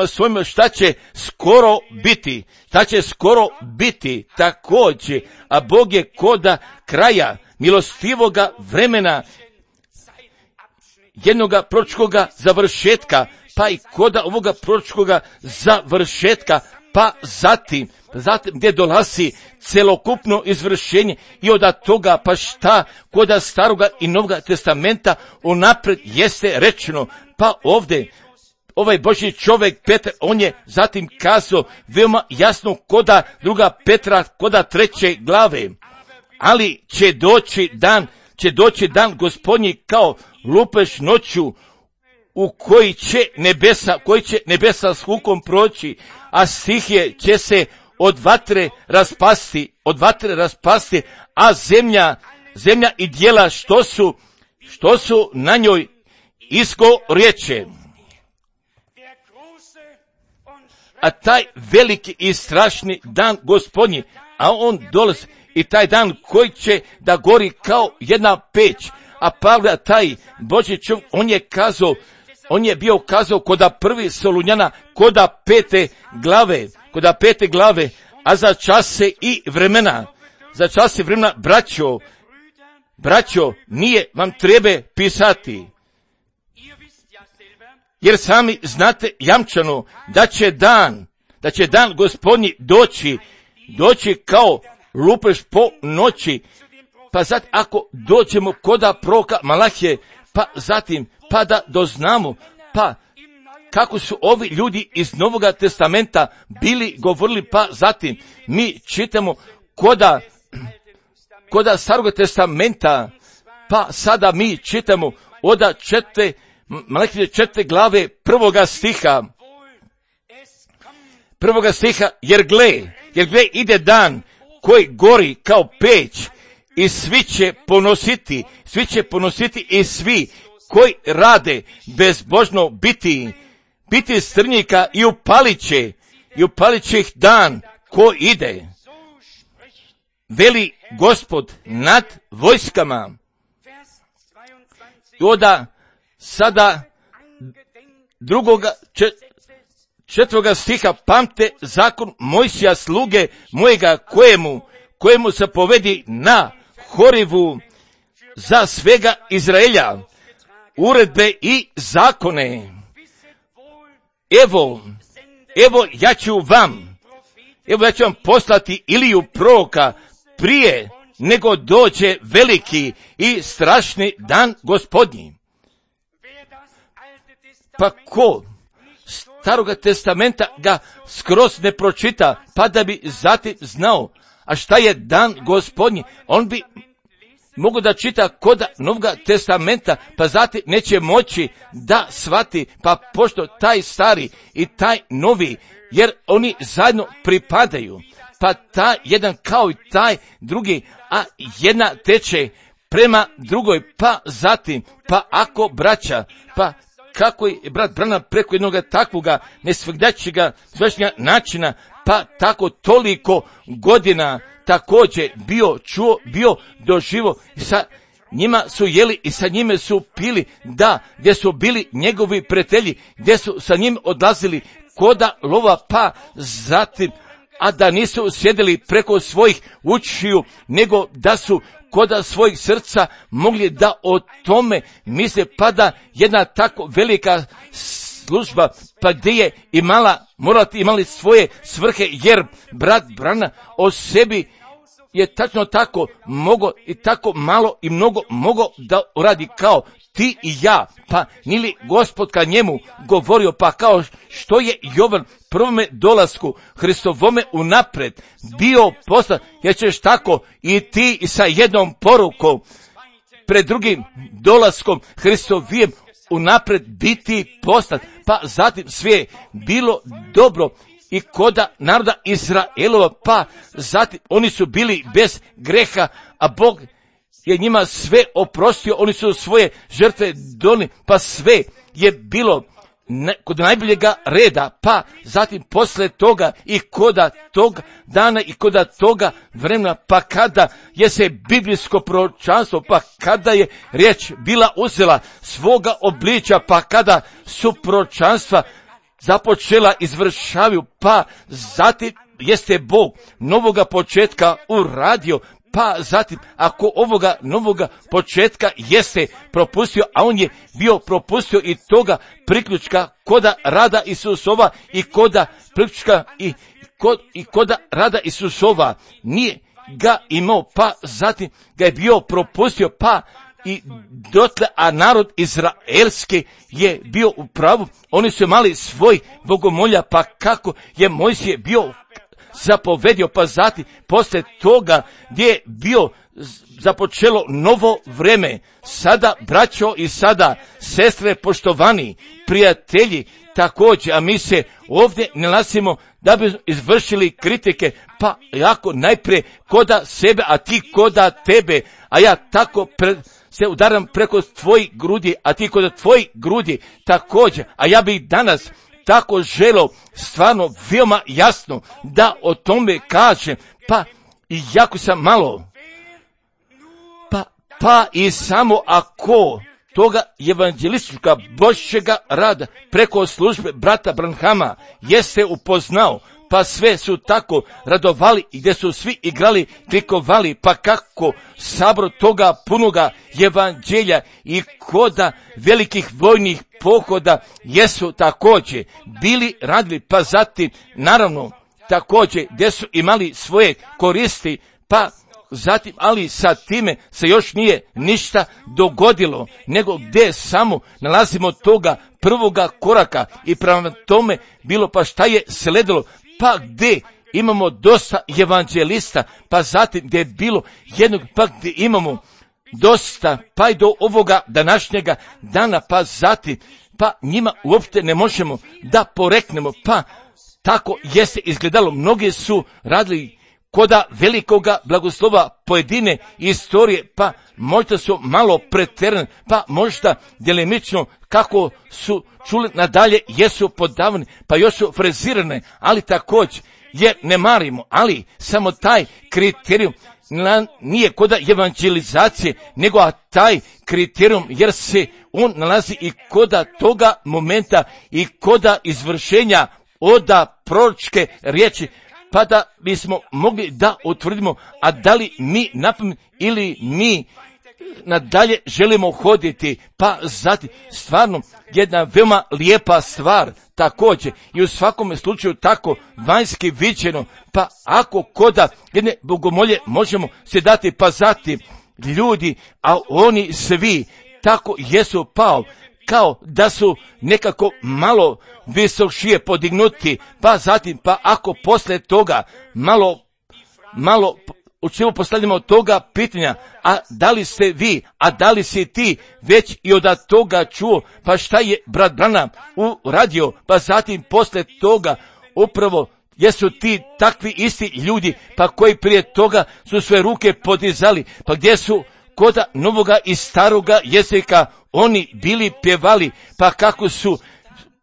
svojima šta će skoro biti također, a Bog je koda kraja milostivoga vremena jednoga proročkoga završetka, pa i koda ovoga proročkoga završetka, pa zatim gdje dolazi celokupno izvršenje i od toga pa šta koda staroga i novoga testamenta unaprijed jeste rečeno, pa ovdje ovaj Božji čovjek Petar, on je zatim kazao veoma jasno koda druga Petra, koda 3. glave, ali će doći dan Gospodnji kao lupež noću, u koji će nebesa s hukom proći, a stihije će se od vatre raspasti, a zemlja i djela što su na njoj izgorjeće. A taj veliki i strašni dan Gospodnji, a on dolazi i taj dan koji će da gori kao jedna peć, a Pavle, taj Božji čovjek, on je bio kazao koda 1. Solunjana, koda 5. glave, a za čase i vremena, braćo, nije vam treba pisati, jer sami znate jamčano da će dan Gospodnji doći kao lupež po noći. Pa zatim ako dođemo koda proroka Malahije, pa zatim pa da doznamo, pa kako su ovi ljudi iz Novoga testamenta bili govorili, pa zatim mi čitamo koda Staroga testamenta, pa sada mi čitamo od Malahije 4. glave prvoga stiha, jer gle ide dan koji gori kao peć i svi će ponositi i svi koji rade bezbožno biti strnjika i upalit će ih dan ko ide. Veli Gospod nad vojskama. I onda sada drugoga 4. stiha, pamte zakon Mojsija sluge mojega kojemu se povedi na Horivu za svega Izraelja uredbe i zakone. Evo ja ću vam poslati Iliju proroka prije nego dođe veliki i strašni dan Gospodnji. Pa ko Staroga testamenta ga skroz ne pročita, pa da bi zatim znao, a šta je dan Gospodnji, on bi mogu da čita koda Novoga testamenta, pa zatim neće moći da shvati, pa pošto taj stari i taj novi, jer oni zajedno pripadaju, pa taj jedan kao i taj drugi, a jedna teče prema drugoj, pa zatim, pa ako braća, pa kako je brat Branham preko jednoga takvoga nesvegdačega načina, pa tako toliko godina također bio doživo i sa njima su jeli i sa njime su pili, da, gdje su bili njegovi prijatelji, gdje su sa njim odlazili koda lova, pa zatim, a da nisu sjedili preko svojih učiju, nego da su koda svojih srca mogli da o tome misle, pa da jedna tako velika služba, pa gdje je imali svoje svrhe, jer brat Brana o sebi je tačno tako mogo i tako malo i mnogo mogo da uradi kao ti i ja, pa nili Gospod ka njemu govorio, pa kao što je Jovan prvome dolasku Hristovome unapred bio poslan, jer ćeš tako i ti i sa jednom porukom pred drugim dolaskom Hristovijem unaprijed biti poslat, pa zatim sve je bilo dobro i koda naroda Izraelova, pa zatim oni su bili bez greha, a Bog je njima sve oprostio, oni su svoje žrtve donijeli, pa sve je bilo kod najboljega reda, pa zatim posle toga i koda tog dana i koda toga vremena, pa kada je se biblijsko proročanstvo, pa kada je riječ bila uzela svoga obličja, pa kada su proročanstva započela izvršavaju, pa zatim jeste Bog novoga početka uradio, pa zatim ako ovoga novoga početka jeste propustio, a on je bio propustio i toga priključka koda rada Isusova i koda priključka i koda rada Isusova nije ga imao, pa zatim ga je bio propustio, pa i dotle, a narod izraelski je bio u pravu, oni su imali svoj bogomolja, pa kako je Mojsije bio zapovedio, pa zatim posle toga gdje je bio započelo novo vreme, sada braćo i sada sestre poštovani prijatelji također, a mi se ovdje nalazimo da bi izvršili kritike, pa jako najprije koda sebe, a ti koda tebe, a ja tako se udaram preko tvojih grudi, a ti koda tvojih grudi također, a ja bih danas tako želo stvarno veoma jasno da o tome kažem, pa i jako sam malo, pa i samo ako toga evanđelistička Božjega rada preko službe brata Branhama jeste upoznao, pa sve su tako radovali i gdje su svi igrali, klikovali, pa kako sabor toga punoga evanđelja i koda velikih vojnih pohoda jesu također bili radili, pa zatim naravno također gdje su imali svoje koristi, pa zatim, ali sa time se još nije ništa dogodilo, nego gdje samo nalazimo toga prvoga koraka i prema tome bilo, pa šta je sledilo, pa gdje imamo dosta evanđelista, pa zatim gdje je bilo jednog, pa gdje imamo dosta, pa i do ovoga današnjega dana, pa zatim, pa njima uopšte ne možemo da poreknemo, pa tako jeste izgledalo, mnogi su radili koda velikoga blagoslova pojedine istorije, pa možda su malo pretjerane, pa možda djelimično kako su čuli nadalje jesu podavani, pa još su frezirane, ali također jer ne marimo, ali samo taj kriterijum nije koda evanđelizacije, nego a taj kriterijum jer se on nalazi i koda toga momenta i koda izvršenja oda proročke riječi, pa da bismo mogli da utvrdimo, a da li mi napamet ili mi nadalje želimo hoditi, pa zatim stvarno jedna veoma lijepa stvar također i u svakom slučaju tako vanjski viđeno, pa ako koda jedne bogomolje možemo se dati, pa zatim ljudi, a oni svi tako jesu pao, kao da su nekako malo visokšije podignuti, pa zatim, pa ako posle toga malo u čemu postavljamo toga pitanja, a da li ste vi, a da li si ti već i od toga čuo, pa šta je brat Branham uradio, pa zatim posle toga upravo jesu ti takvi isti ljudi, pa koji prije toga su sve ruke podizali, pa gdje su koda novoga i staroga jezika oni bili pjevali, pa kako su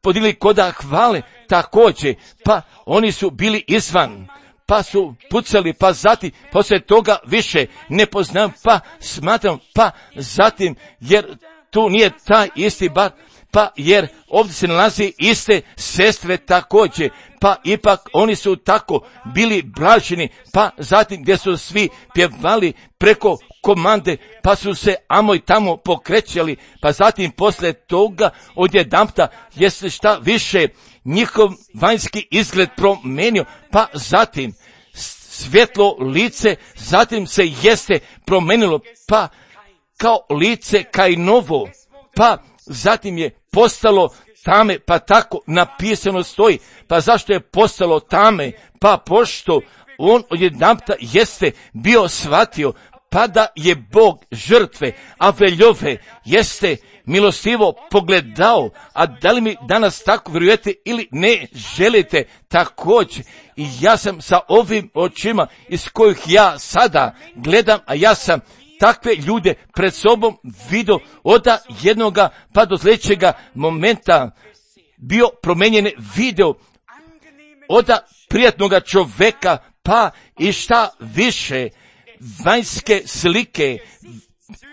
podigli koda hvale također, pa oni su bili izvan, pa su pucali, pa zatim poslije toga više ne poznam, pa smatram, pa zatim jer tu nije taj isti bar, pa jer ovdje se nalazi iste sestre također, pa ipak oni su tako bili blaženi, pa zatim gdje su svi pjevali preko komande, pa su se amo i tamo pokrećali, pa zatim poslije toga odjedanputa jeste šta više njihov vanjski izgled promenio, pa zatim svjetlo lice, zatim se jeste promenilo, pa kao lice kaj novo, pa zatim je postalo tame, pa tako napisano stoji, pa zašto je postalo tame, pa pošto on odjedanputa jeste bio shvatio, pa da je Bog žrtve Aveljove jeste milostivo pogledao, a da li mi danas tako vjerujete ili ne želite također. I ja sam sa ovim očima iz kojih ja sada gledam, a ja sam takve ljude pred sobom vidio od jednoga pa do sljedećega momenta bio promijenjen video od prijatnoga čovjeka pa i šta više vanjske slike,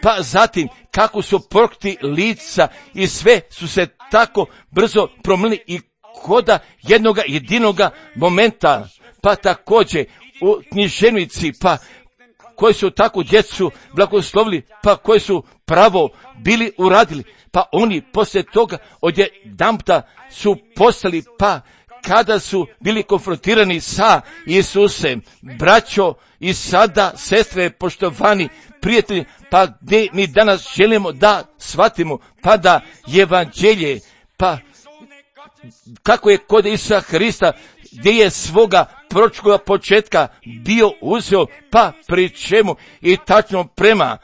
pa zatim kako su prokti lica i sve su se tako brzo promijenili i koda jednoga jedinoga momenta, pa također u književnici, pa koji su tako djecu blagoslovili, pa koji su pravo bili uradili, pa oni poslije toga odjedanputa su postali, pa kada su bili konfrontirani sa Isusem, braćo i sada sestre, poštovani prijatelji, pa gdje mi danas želimo da shvatimo, pa da evanđelje, pa kako je kod Isusa Hrista, gdje je svoga proročkoga početka bio uzeo, pa pri čemu i tačno prema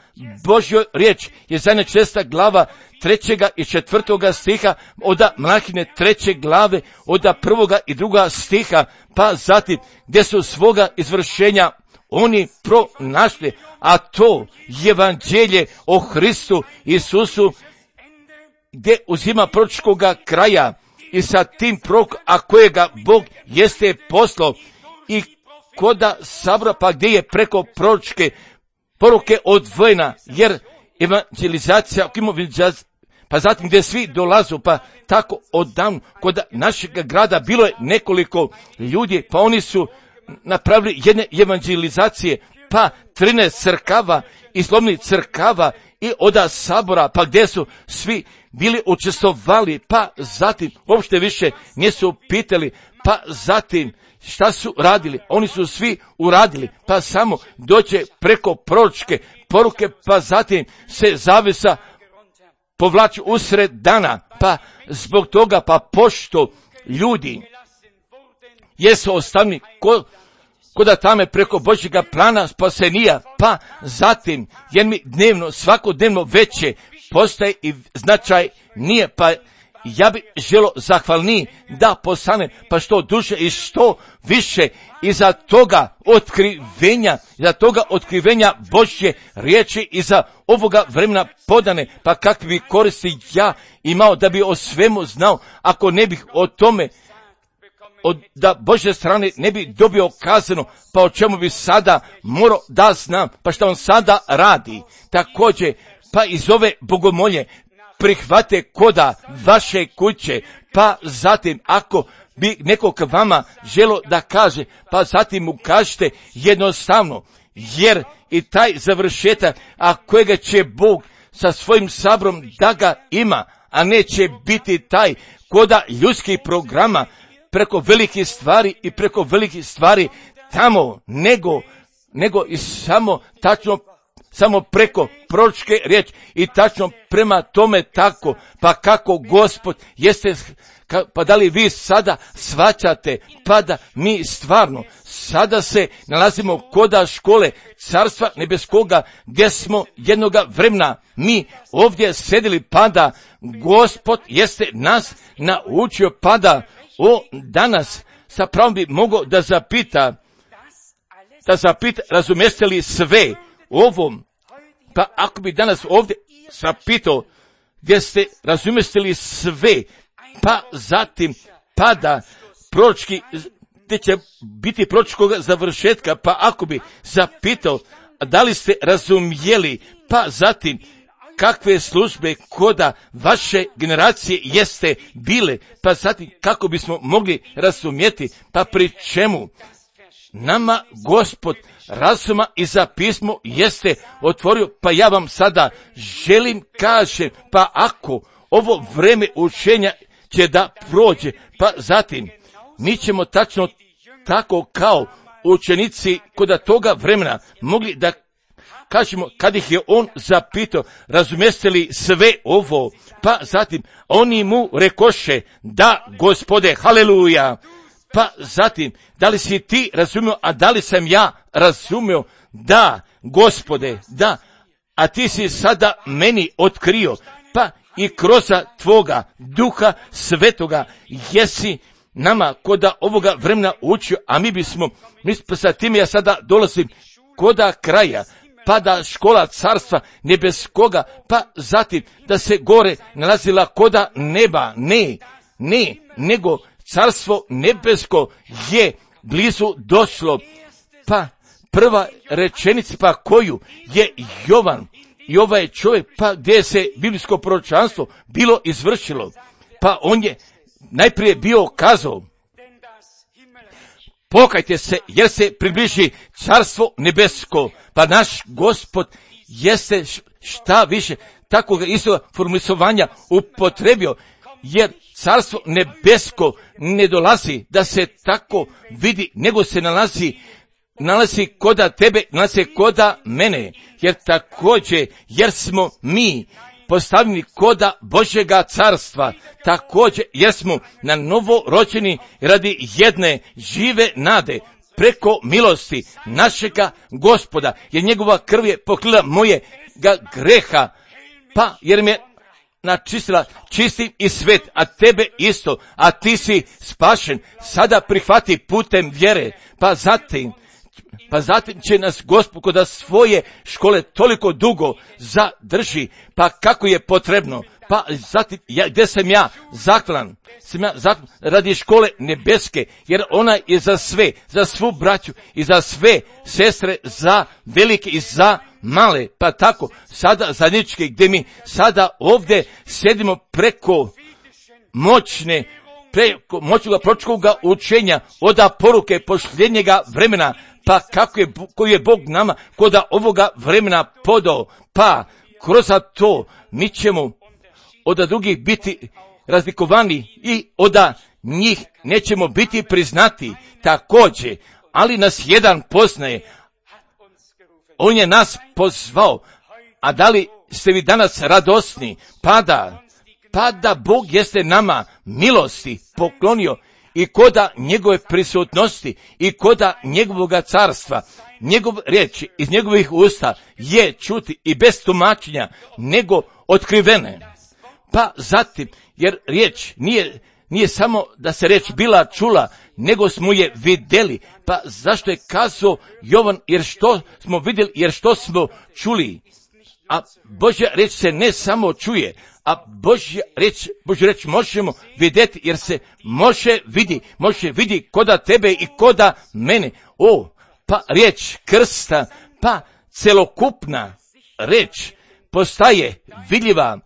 Božjoj riječ je zadnja 6. glava 3. i 4. stiha, od Mlahine 3. glave, od 1. i 2. stiha, pa zatim gdje su svoga izvršenja oni pronašli, a to evanđelje o Hristu Isusu, gdje uzima proročkoga kraja i sa tim prorok, a kojega Bog jeste poslao i koda sabora, pa gdje je preko proročke poruke odvojena, jer evangelizacija, pa zatim gdje svi dolazu, pa tako odavno kod našeg grada bilo je nekoliko ljudi, pa oni su napravili jedne evangelizacije, pa 13 crkava i slovnih crkava i oda sabora, pa gdje su svi bili učestvovali, pa zatim uopšte više nisu pitali, pa zatim šta su radili, oni su svi uradili, pa samo dođe preko proročke poruke, pa zatim se zavesa povlači usred dana, pa zbog toga, pa pošto ljudi jesu ostavni koda tame preko Božjega plana spasenija, pa zatim jer mi dnevno, svakodnevno veće postaje i značaj nije, pa ja bi želo zahvalniji da postane, pa što duže i što više iza toga otkrivenja Božje riječi iza ovoga vremena podane, pa kakvi bi koristi ja imao da bi o svemu znao, ako ne bih o tome da Božje strane ne bi dobio kazano, pa o čemu bi sada morao da znam, pa što on sada radi. Također, pa iz ove bogomolje prihvate koda vaše kuće, pa zatim ako bi neko k vama želo da kaže, pa zatim mu kažete jednostavno, jer i taj završetak, a kojega će Bog sa svojim sabrom da ga ima, a neće biti taj koda ljudskih programa, preko velikih stvari i preko velikih stvari tamo, nego i samo tačno, samo preko proročke riječi i tačno prema tome tako, pa kako Gospod jeste, pa da li vi sada shvaćate, pa da mi stvarno sada se nalazimo koda škole Carstva nebeskoga, gdje smo jednoga vremena mi ovdje sedili, pa da Gospod jeste nas naučio, pa da danas sa pravom bi mogao da zapita, razumijeste li sve ovom, pa ako bi danas ovdje zapitao gdje ste, razumijeste li sve, pa zatim pada proročki, gdje će biti proročkog završetka, pa ako bi zapitao da li ste razumijeli, pa zatim kakve službe koda vaše generacije jeste bile, pa zatim kako bismo mogli razumjeti, pa pri čemu nama Gospod razuma i za pismo jeste otvorio, pa ja vam sada želim kažem, pa ako ovo vreme učenja će da prođe, pa zatim mi ćemo tačno tako kao učenici koda toga vremena mogli da kažemo, kad ih je on zapitao, razumijeste li sve ovo, pa zatim oni mu rekoše, da Gospode, haleluja, pa zatim, da li si ti razumio, a da li sam ja razumio, da, Gospode, da, a ti si sada meni otkrio, pa i kroz tvoga duha svetoga jesi nama koda ovoga vremena učio, a mi sa tim ja sada dolazim koda kraja, pa da škola carstva nebeskoga, pa zatim da se gore nalazila koda neba, ne, nego carstvo nebesko je blizu došlo, pa prva rečenica pa koju je Jovan i ovaj čovjek, pa gdje se biblijsko proročanstvo bilo izvršilo, pa on je najprije bio kazao, pokajte se jer se približi carstvo nebesko, pa naš Gospod jeste šta više takvog istog formulisovanja upotrebio, jer carstvo nebesko ne dolazi da se tako vidi, nego se nalazi koda tebe, nalazi koda mene, jer također, jer smo mi postavljeni koda Božjega carstva, također jer smo na novo rođeni radi jedne žive nade, preko milosti našega Gospoda, jer njegova krv je pokrila mojega greha, pa jer me načistila čistim i svet, a tebe isto, a ti si spašen, sada prihvati putem vjere, pa zatim će nas Gospod kod svoje škole toliko dugo zadrži, pa kako je potrebno, pa zatim gdje sam ja zahvalan radi škole nebeske, jer ona je za sve, za svu braću i za sve sestre, za velike i za male, pa tako sada zajednički gdje mi sada ovdje sjedimo preko moćnoga proročkoga učenja od poruke posljednjega vremena, pa koji je Bog nama koda ovoga vremena podao, pa kroz to mi ćemo od drugih biti razlikovani i od njih nećemo biti priznati također, ali nas jedan poznaje, on je nas pozvao, a da li ste vi danas radosni, pa da Bog jeste nama milosti poklonio i koda njegove prisutnosti i koda njegovoga carstva, njegov riječ iz njegovih usta je čuti i bez tumačenja nego otkrivene. Pa zatim, jer riječ nije samo da se riječ bila čula, nego smo je vidjeli. Pa zašto je kazao Jovan, jer što smo vidjeli, jer što smo čuli. A Božja riječ se ne samo čuje, a Božju riječ možemo vidjeti, jer se može vidi koda tebe i koda mene. Pa riječ krsta, pa celokupna riječ postaje vidljiva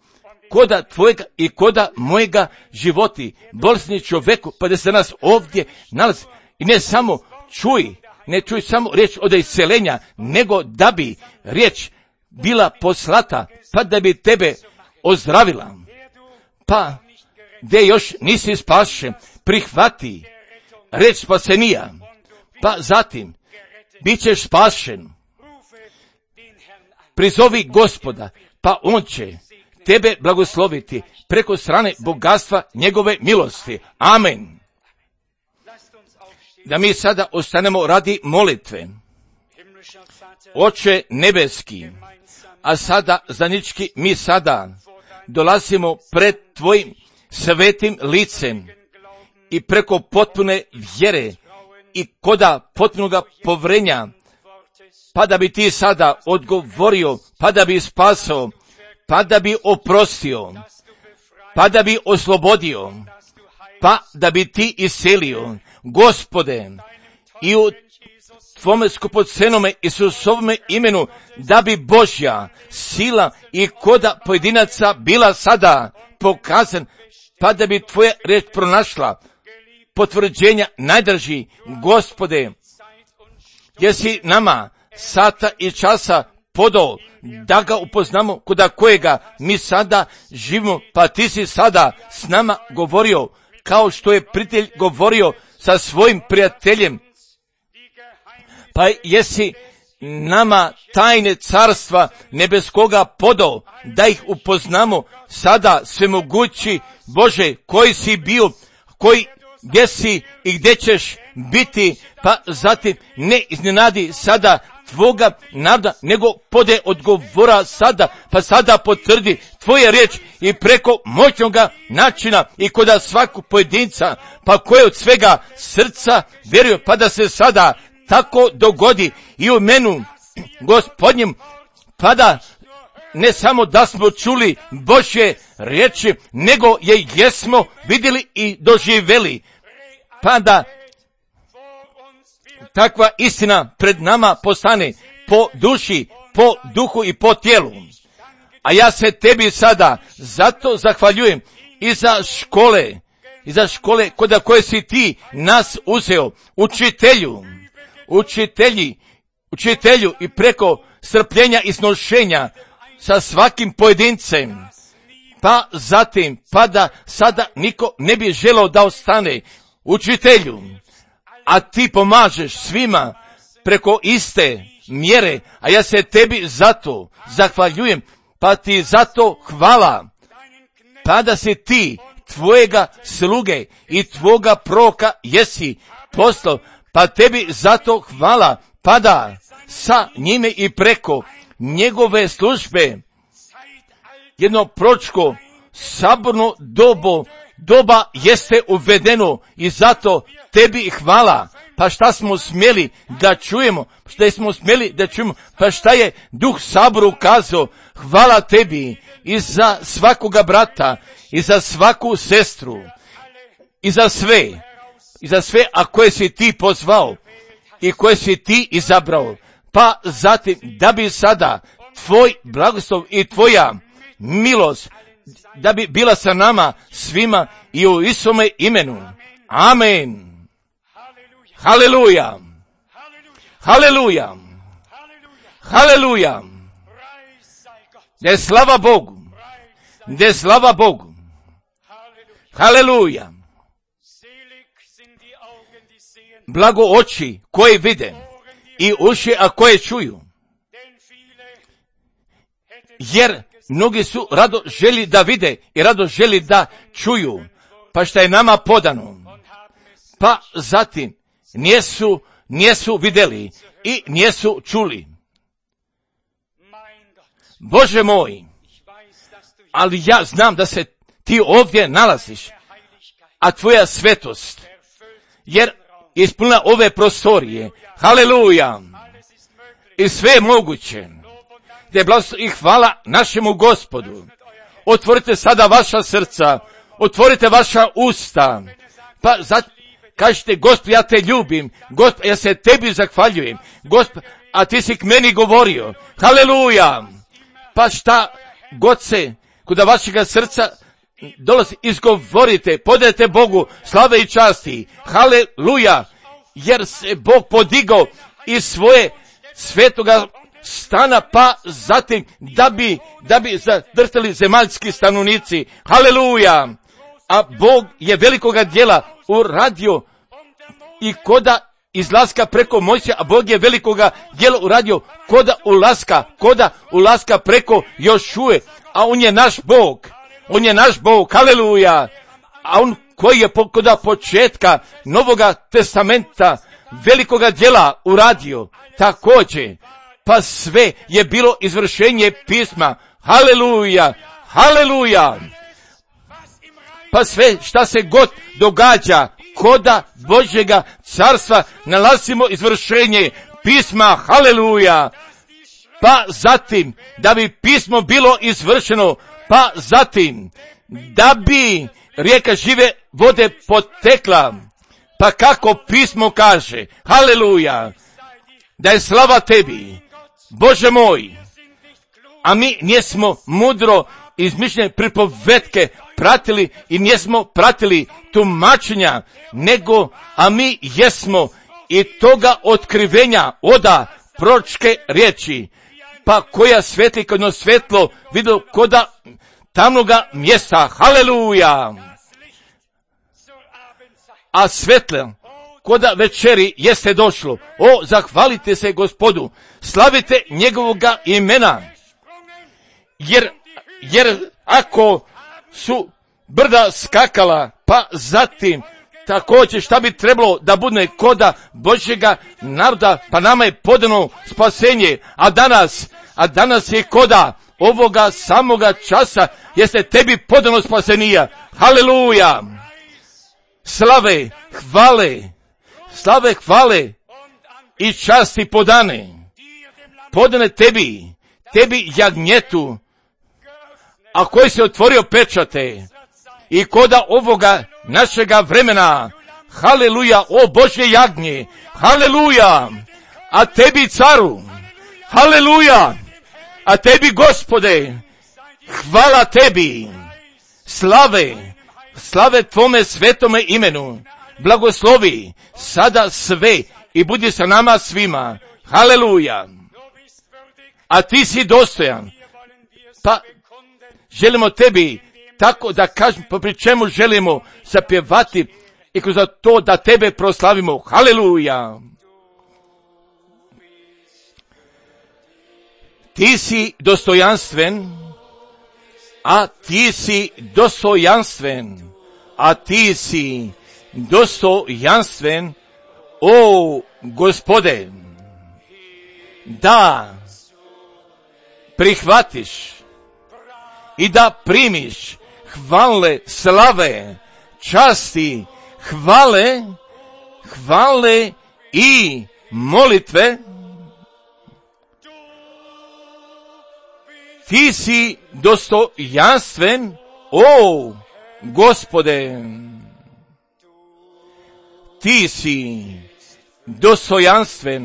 koda tvojega i koda mojega životi, bolesni čovjeku, pa da se nas ovdje nalazi. I ne čuj samo riječ od isceljenja, nego da bi riječ bila poslata, pa da bi tebe ozdravila. Pa gdje još nisi spašen, prihvati riječ spasenija, pa zatim bit ćeš spašen. Prizovi Gospoda, pa on će tebe blagosloviti preko strane bogatstva njegove milosti. Amen. Da mi sada ostanemo radi molitve. Oče nebeski, a sada zajednički mi sada dolazimo pred tvojim svetim licem i preko potpune vjere i koda potpunoga povrenja, pa da bi ti sada odgovorio, pa da bi spasao, pa da bi oprostio, pa da bi oslobodio, pa da bi ti iselio. Gospode, i u tvome skupocenome Isusovome imenu, da bi Božja sila i koda pojedinaca bila sada pokazan, pa da bi tvoja riječ pronašla potvrđenja najdraži. Gospode, jesi nama sata i časa podao da ga upoznamo koda kojega mi sada živimo, pa ti si sada s nama govorio kao što je prijatelj govorio sa svojim prijateljem, pa jesi nama tajne carstva nebeskoga podao da ih upoznamo sada, svemogući Bože, koji si bio, gdje si i gdje ćeš biti, pa zatim ne iznenadi sada tvoga naroda, nego pode odgovora sada, pa sada potvrdi tvoje riječ i preko moćnoga načina i kod svakog pojedinca, pa koje od svega srca vjeruje, pa da se sada tako dogodi i u menu Gospodnjem, pa da ne samo da smo čuli Božje riječi, nego je jesmo vidjeli i doživjeli, pa da takva istina pred nama postane po duši, po duhu i po tijelu. A ja se tebi sada zato zahvaljujem i za škole kod koje si ti nas uzeo, učitelju i preko strpljenja i snošenja sa svakim pojedincem, pa zatim, pa da sada niko ne bi želeo da ostane učitelju, a ti pomažeš svima preko iste mjere, a ja se tebi zato zahvaljujem, pa ti zato hvala, pa da si ti tvojega sluge i tvoga proroka jesi poslao, pa tebi zato hvala, pa da sa njime i preko njegove službe jedno proročko saborno doba jeste uvedeno i zato tebi hvala. Pa šta smo smjeli da čujemo, pa šta je Duh Saboru kazao, hvala tebi i za svakoga brata i za svaku sestru i za sve, a koje si ti pozvao i koje si ti izabrao, pa zatim da bi sada tvoj blagoslov i tvoja milost da bi bila sa nama svima i u Isome imenu. Amen. Haleluja. Haleluja. Haleluja. De slava Bogu. De slava Bogu. Haleluja. Blago oči koje vide i uši a koje čuju. Jer mnogi su rado želi da vide i rado želi da čuju, pa šta je nama podano. Pa zatim nijesu vidjeli i nijesu čuli. Bože moj, ali ja znam da se ti ovdje nalaziš, a tvoja svetost, jer ispunila ove prostorije. Haleluja. I sve je moguće. Te blagoslov i hvala našemu Gospodu. Otvorite sada vaša srca, otvorite vaša usta, pa kažete, Gospod, ja te ljubim, Gospod, ja se tebi zahvaljujem, Gospod, a ti si k meni govorio. Haleluja. Pa šta god se kod vašega srca dolazi, izgovorite, podajte Bogu slave i časti. Haleluja. Jer se Bog podigao iz svoje svetoga stana, pa zatim da bi zadrhtali zemaljski stanovnici. Haleluja. A Bog je velikoga djela uradio i koda izlaska preko Mojsija, a Bog je velikoga djela uradio koda ulaska preko Jošue, a on je naš Bog, haleluja. A on koji je koda početka Novoga testamenta velikoga djela uradio također, pa sve je bilo izvršenje pisma. Haleluja, haleluja. Pa sve šta se god događa koda Božjega carstva nalazimo izvršenje pisma. Haleluja. Pa zatim da bi pismo bilo izvršeno, pa zatim da bi rijeka žive vode potekla, pa kako pismo kaže. Haleluja. Da je slava tebi, Bože moj. A mi nismo mudro izmišljene pripovetke pratili i nismo pratili tumačenja, nego, a mi jesmo i toga otkrivenja oda proročke riječi, pa koja svetli kao jedno svetlo vidio koda tamnoga mjesta. Haleluja. A svetlo koda večeri jeste došlo. O, zahvalite se Gospodu, slavite njegovoga imena, jer ako su brda skakala, pa zatim također šta bi trebalo da bude koda Božjega naroda, pa nama je podano spasenje, a danas je koda ovoga samoga časa, jeste tebi podano spasenija. Haleluja! Slave, hvale i časti podane tebi jagnjetu, a koji se otvorio pečate i koda ovoga našega vremena. Haleluja, o Božje jagnje, haleluja, a tebi caru, haleluja, a tebi Gospode, hvala tebi, slave tvome svetome imenu, blagoslovi sada sve i budi sa nama svima, haleluja, a ti si dostojan, pa želimo tebi, tako da kažem, pri čemu želimo zapjevati i kroz to da tebe proslavimo. Haleluja! Ti si dostojanstven, a ti si dostojanstven, o Gospode, da prihvatiš i da primiš hvale, slave, časti, hvale i molitve. Ti si dostojanstven, o Gospode. Ti si dostojanstven,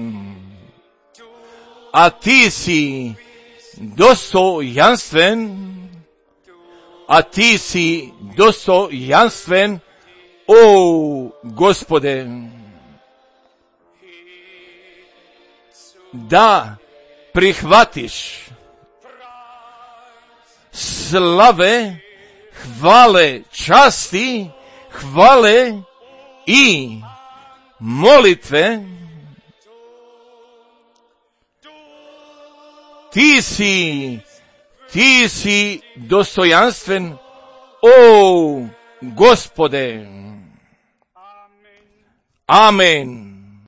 a ti si dostojanstven, o Gospode, da prihvatiš slave, hvale, časti, hvale i molitve. Ti si dostojanstven, o Gospode. Amen.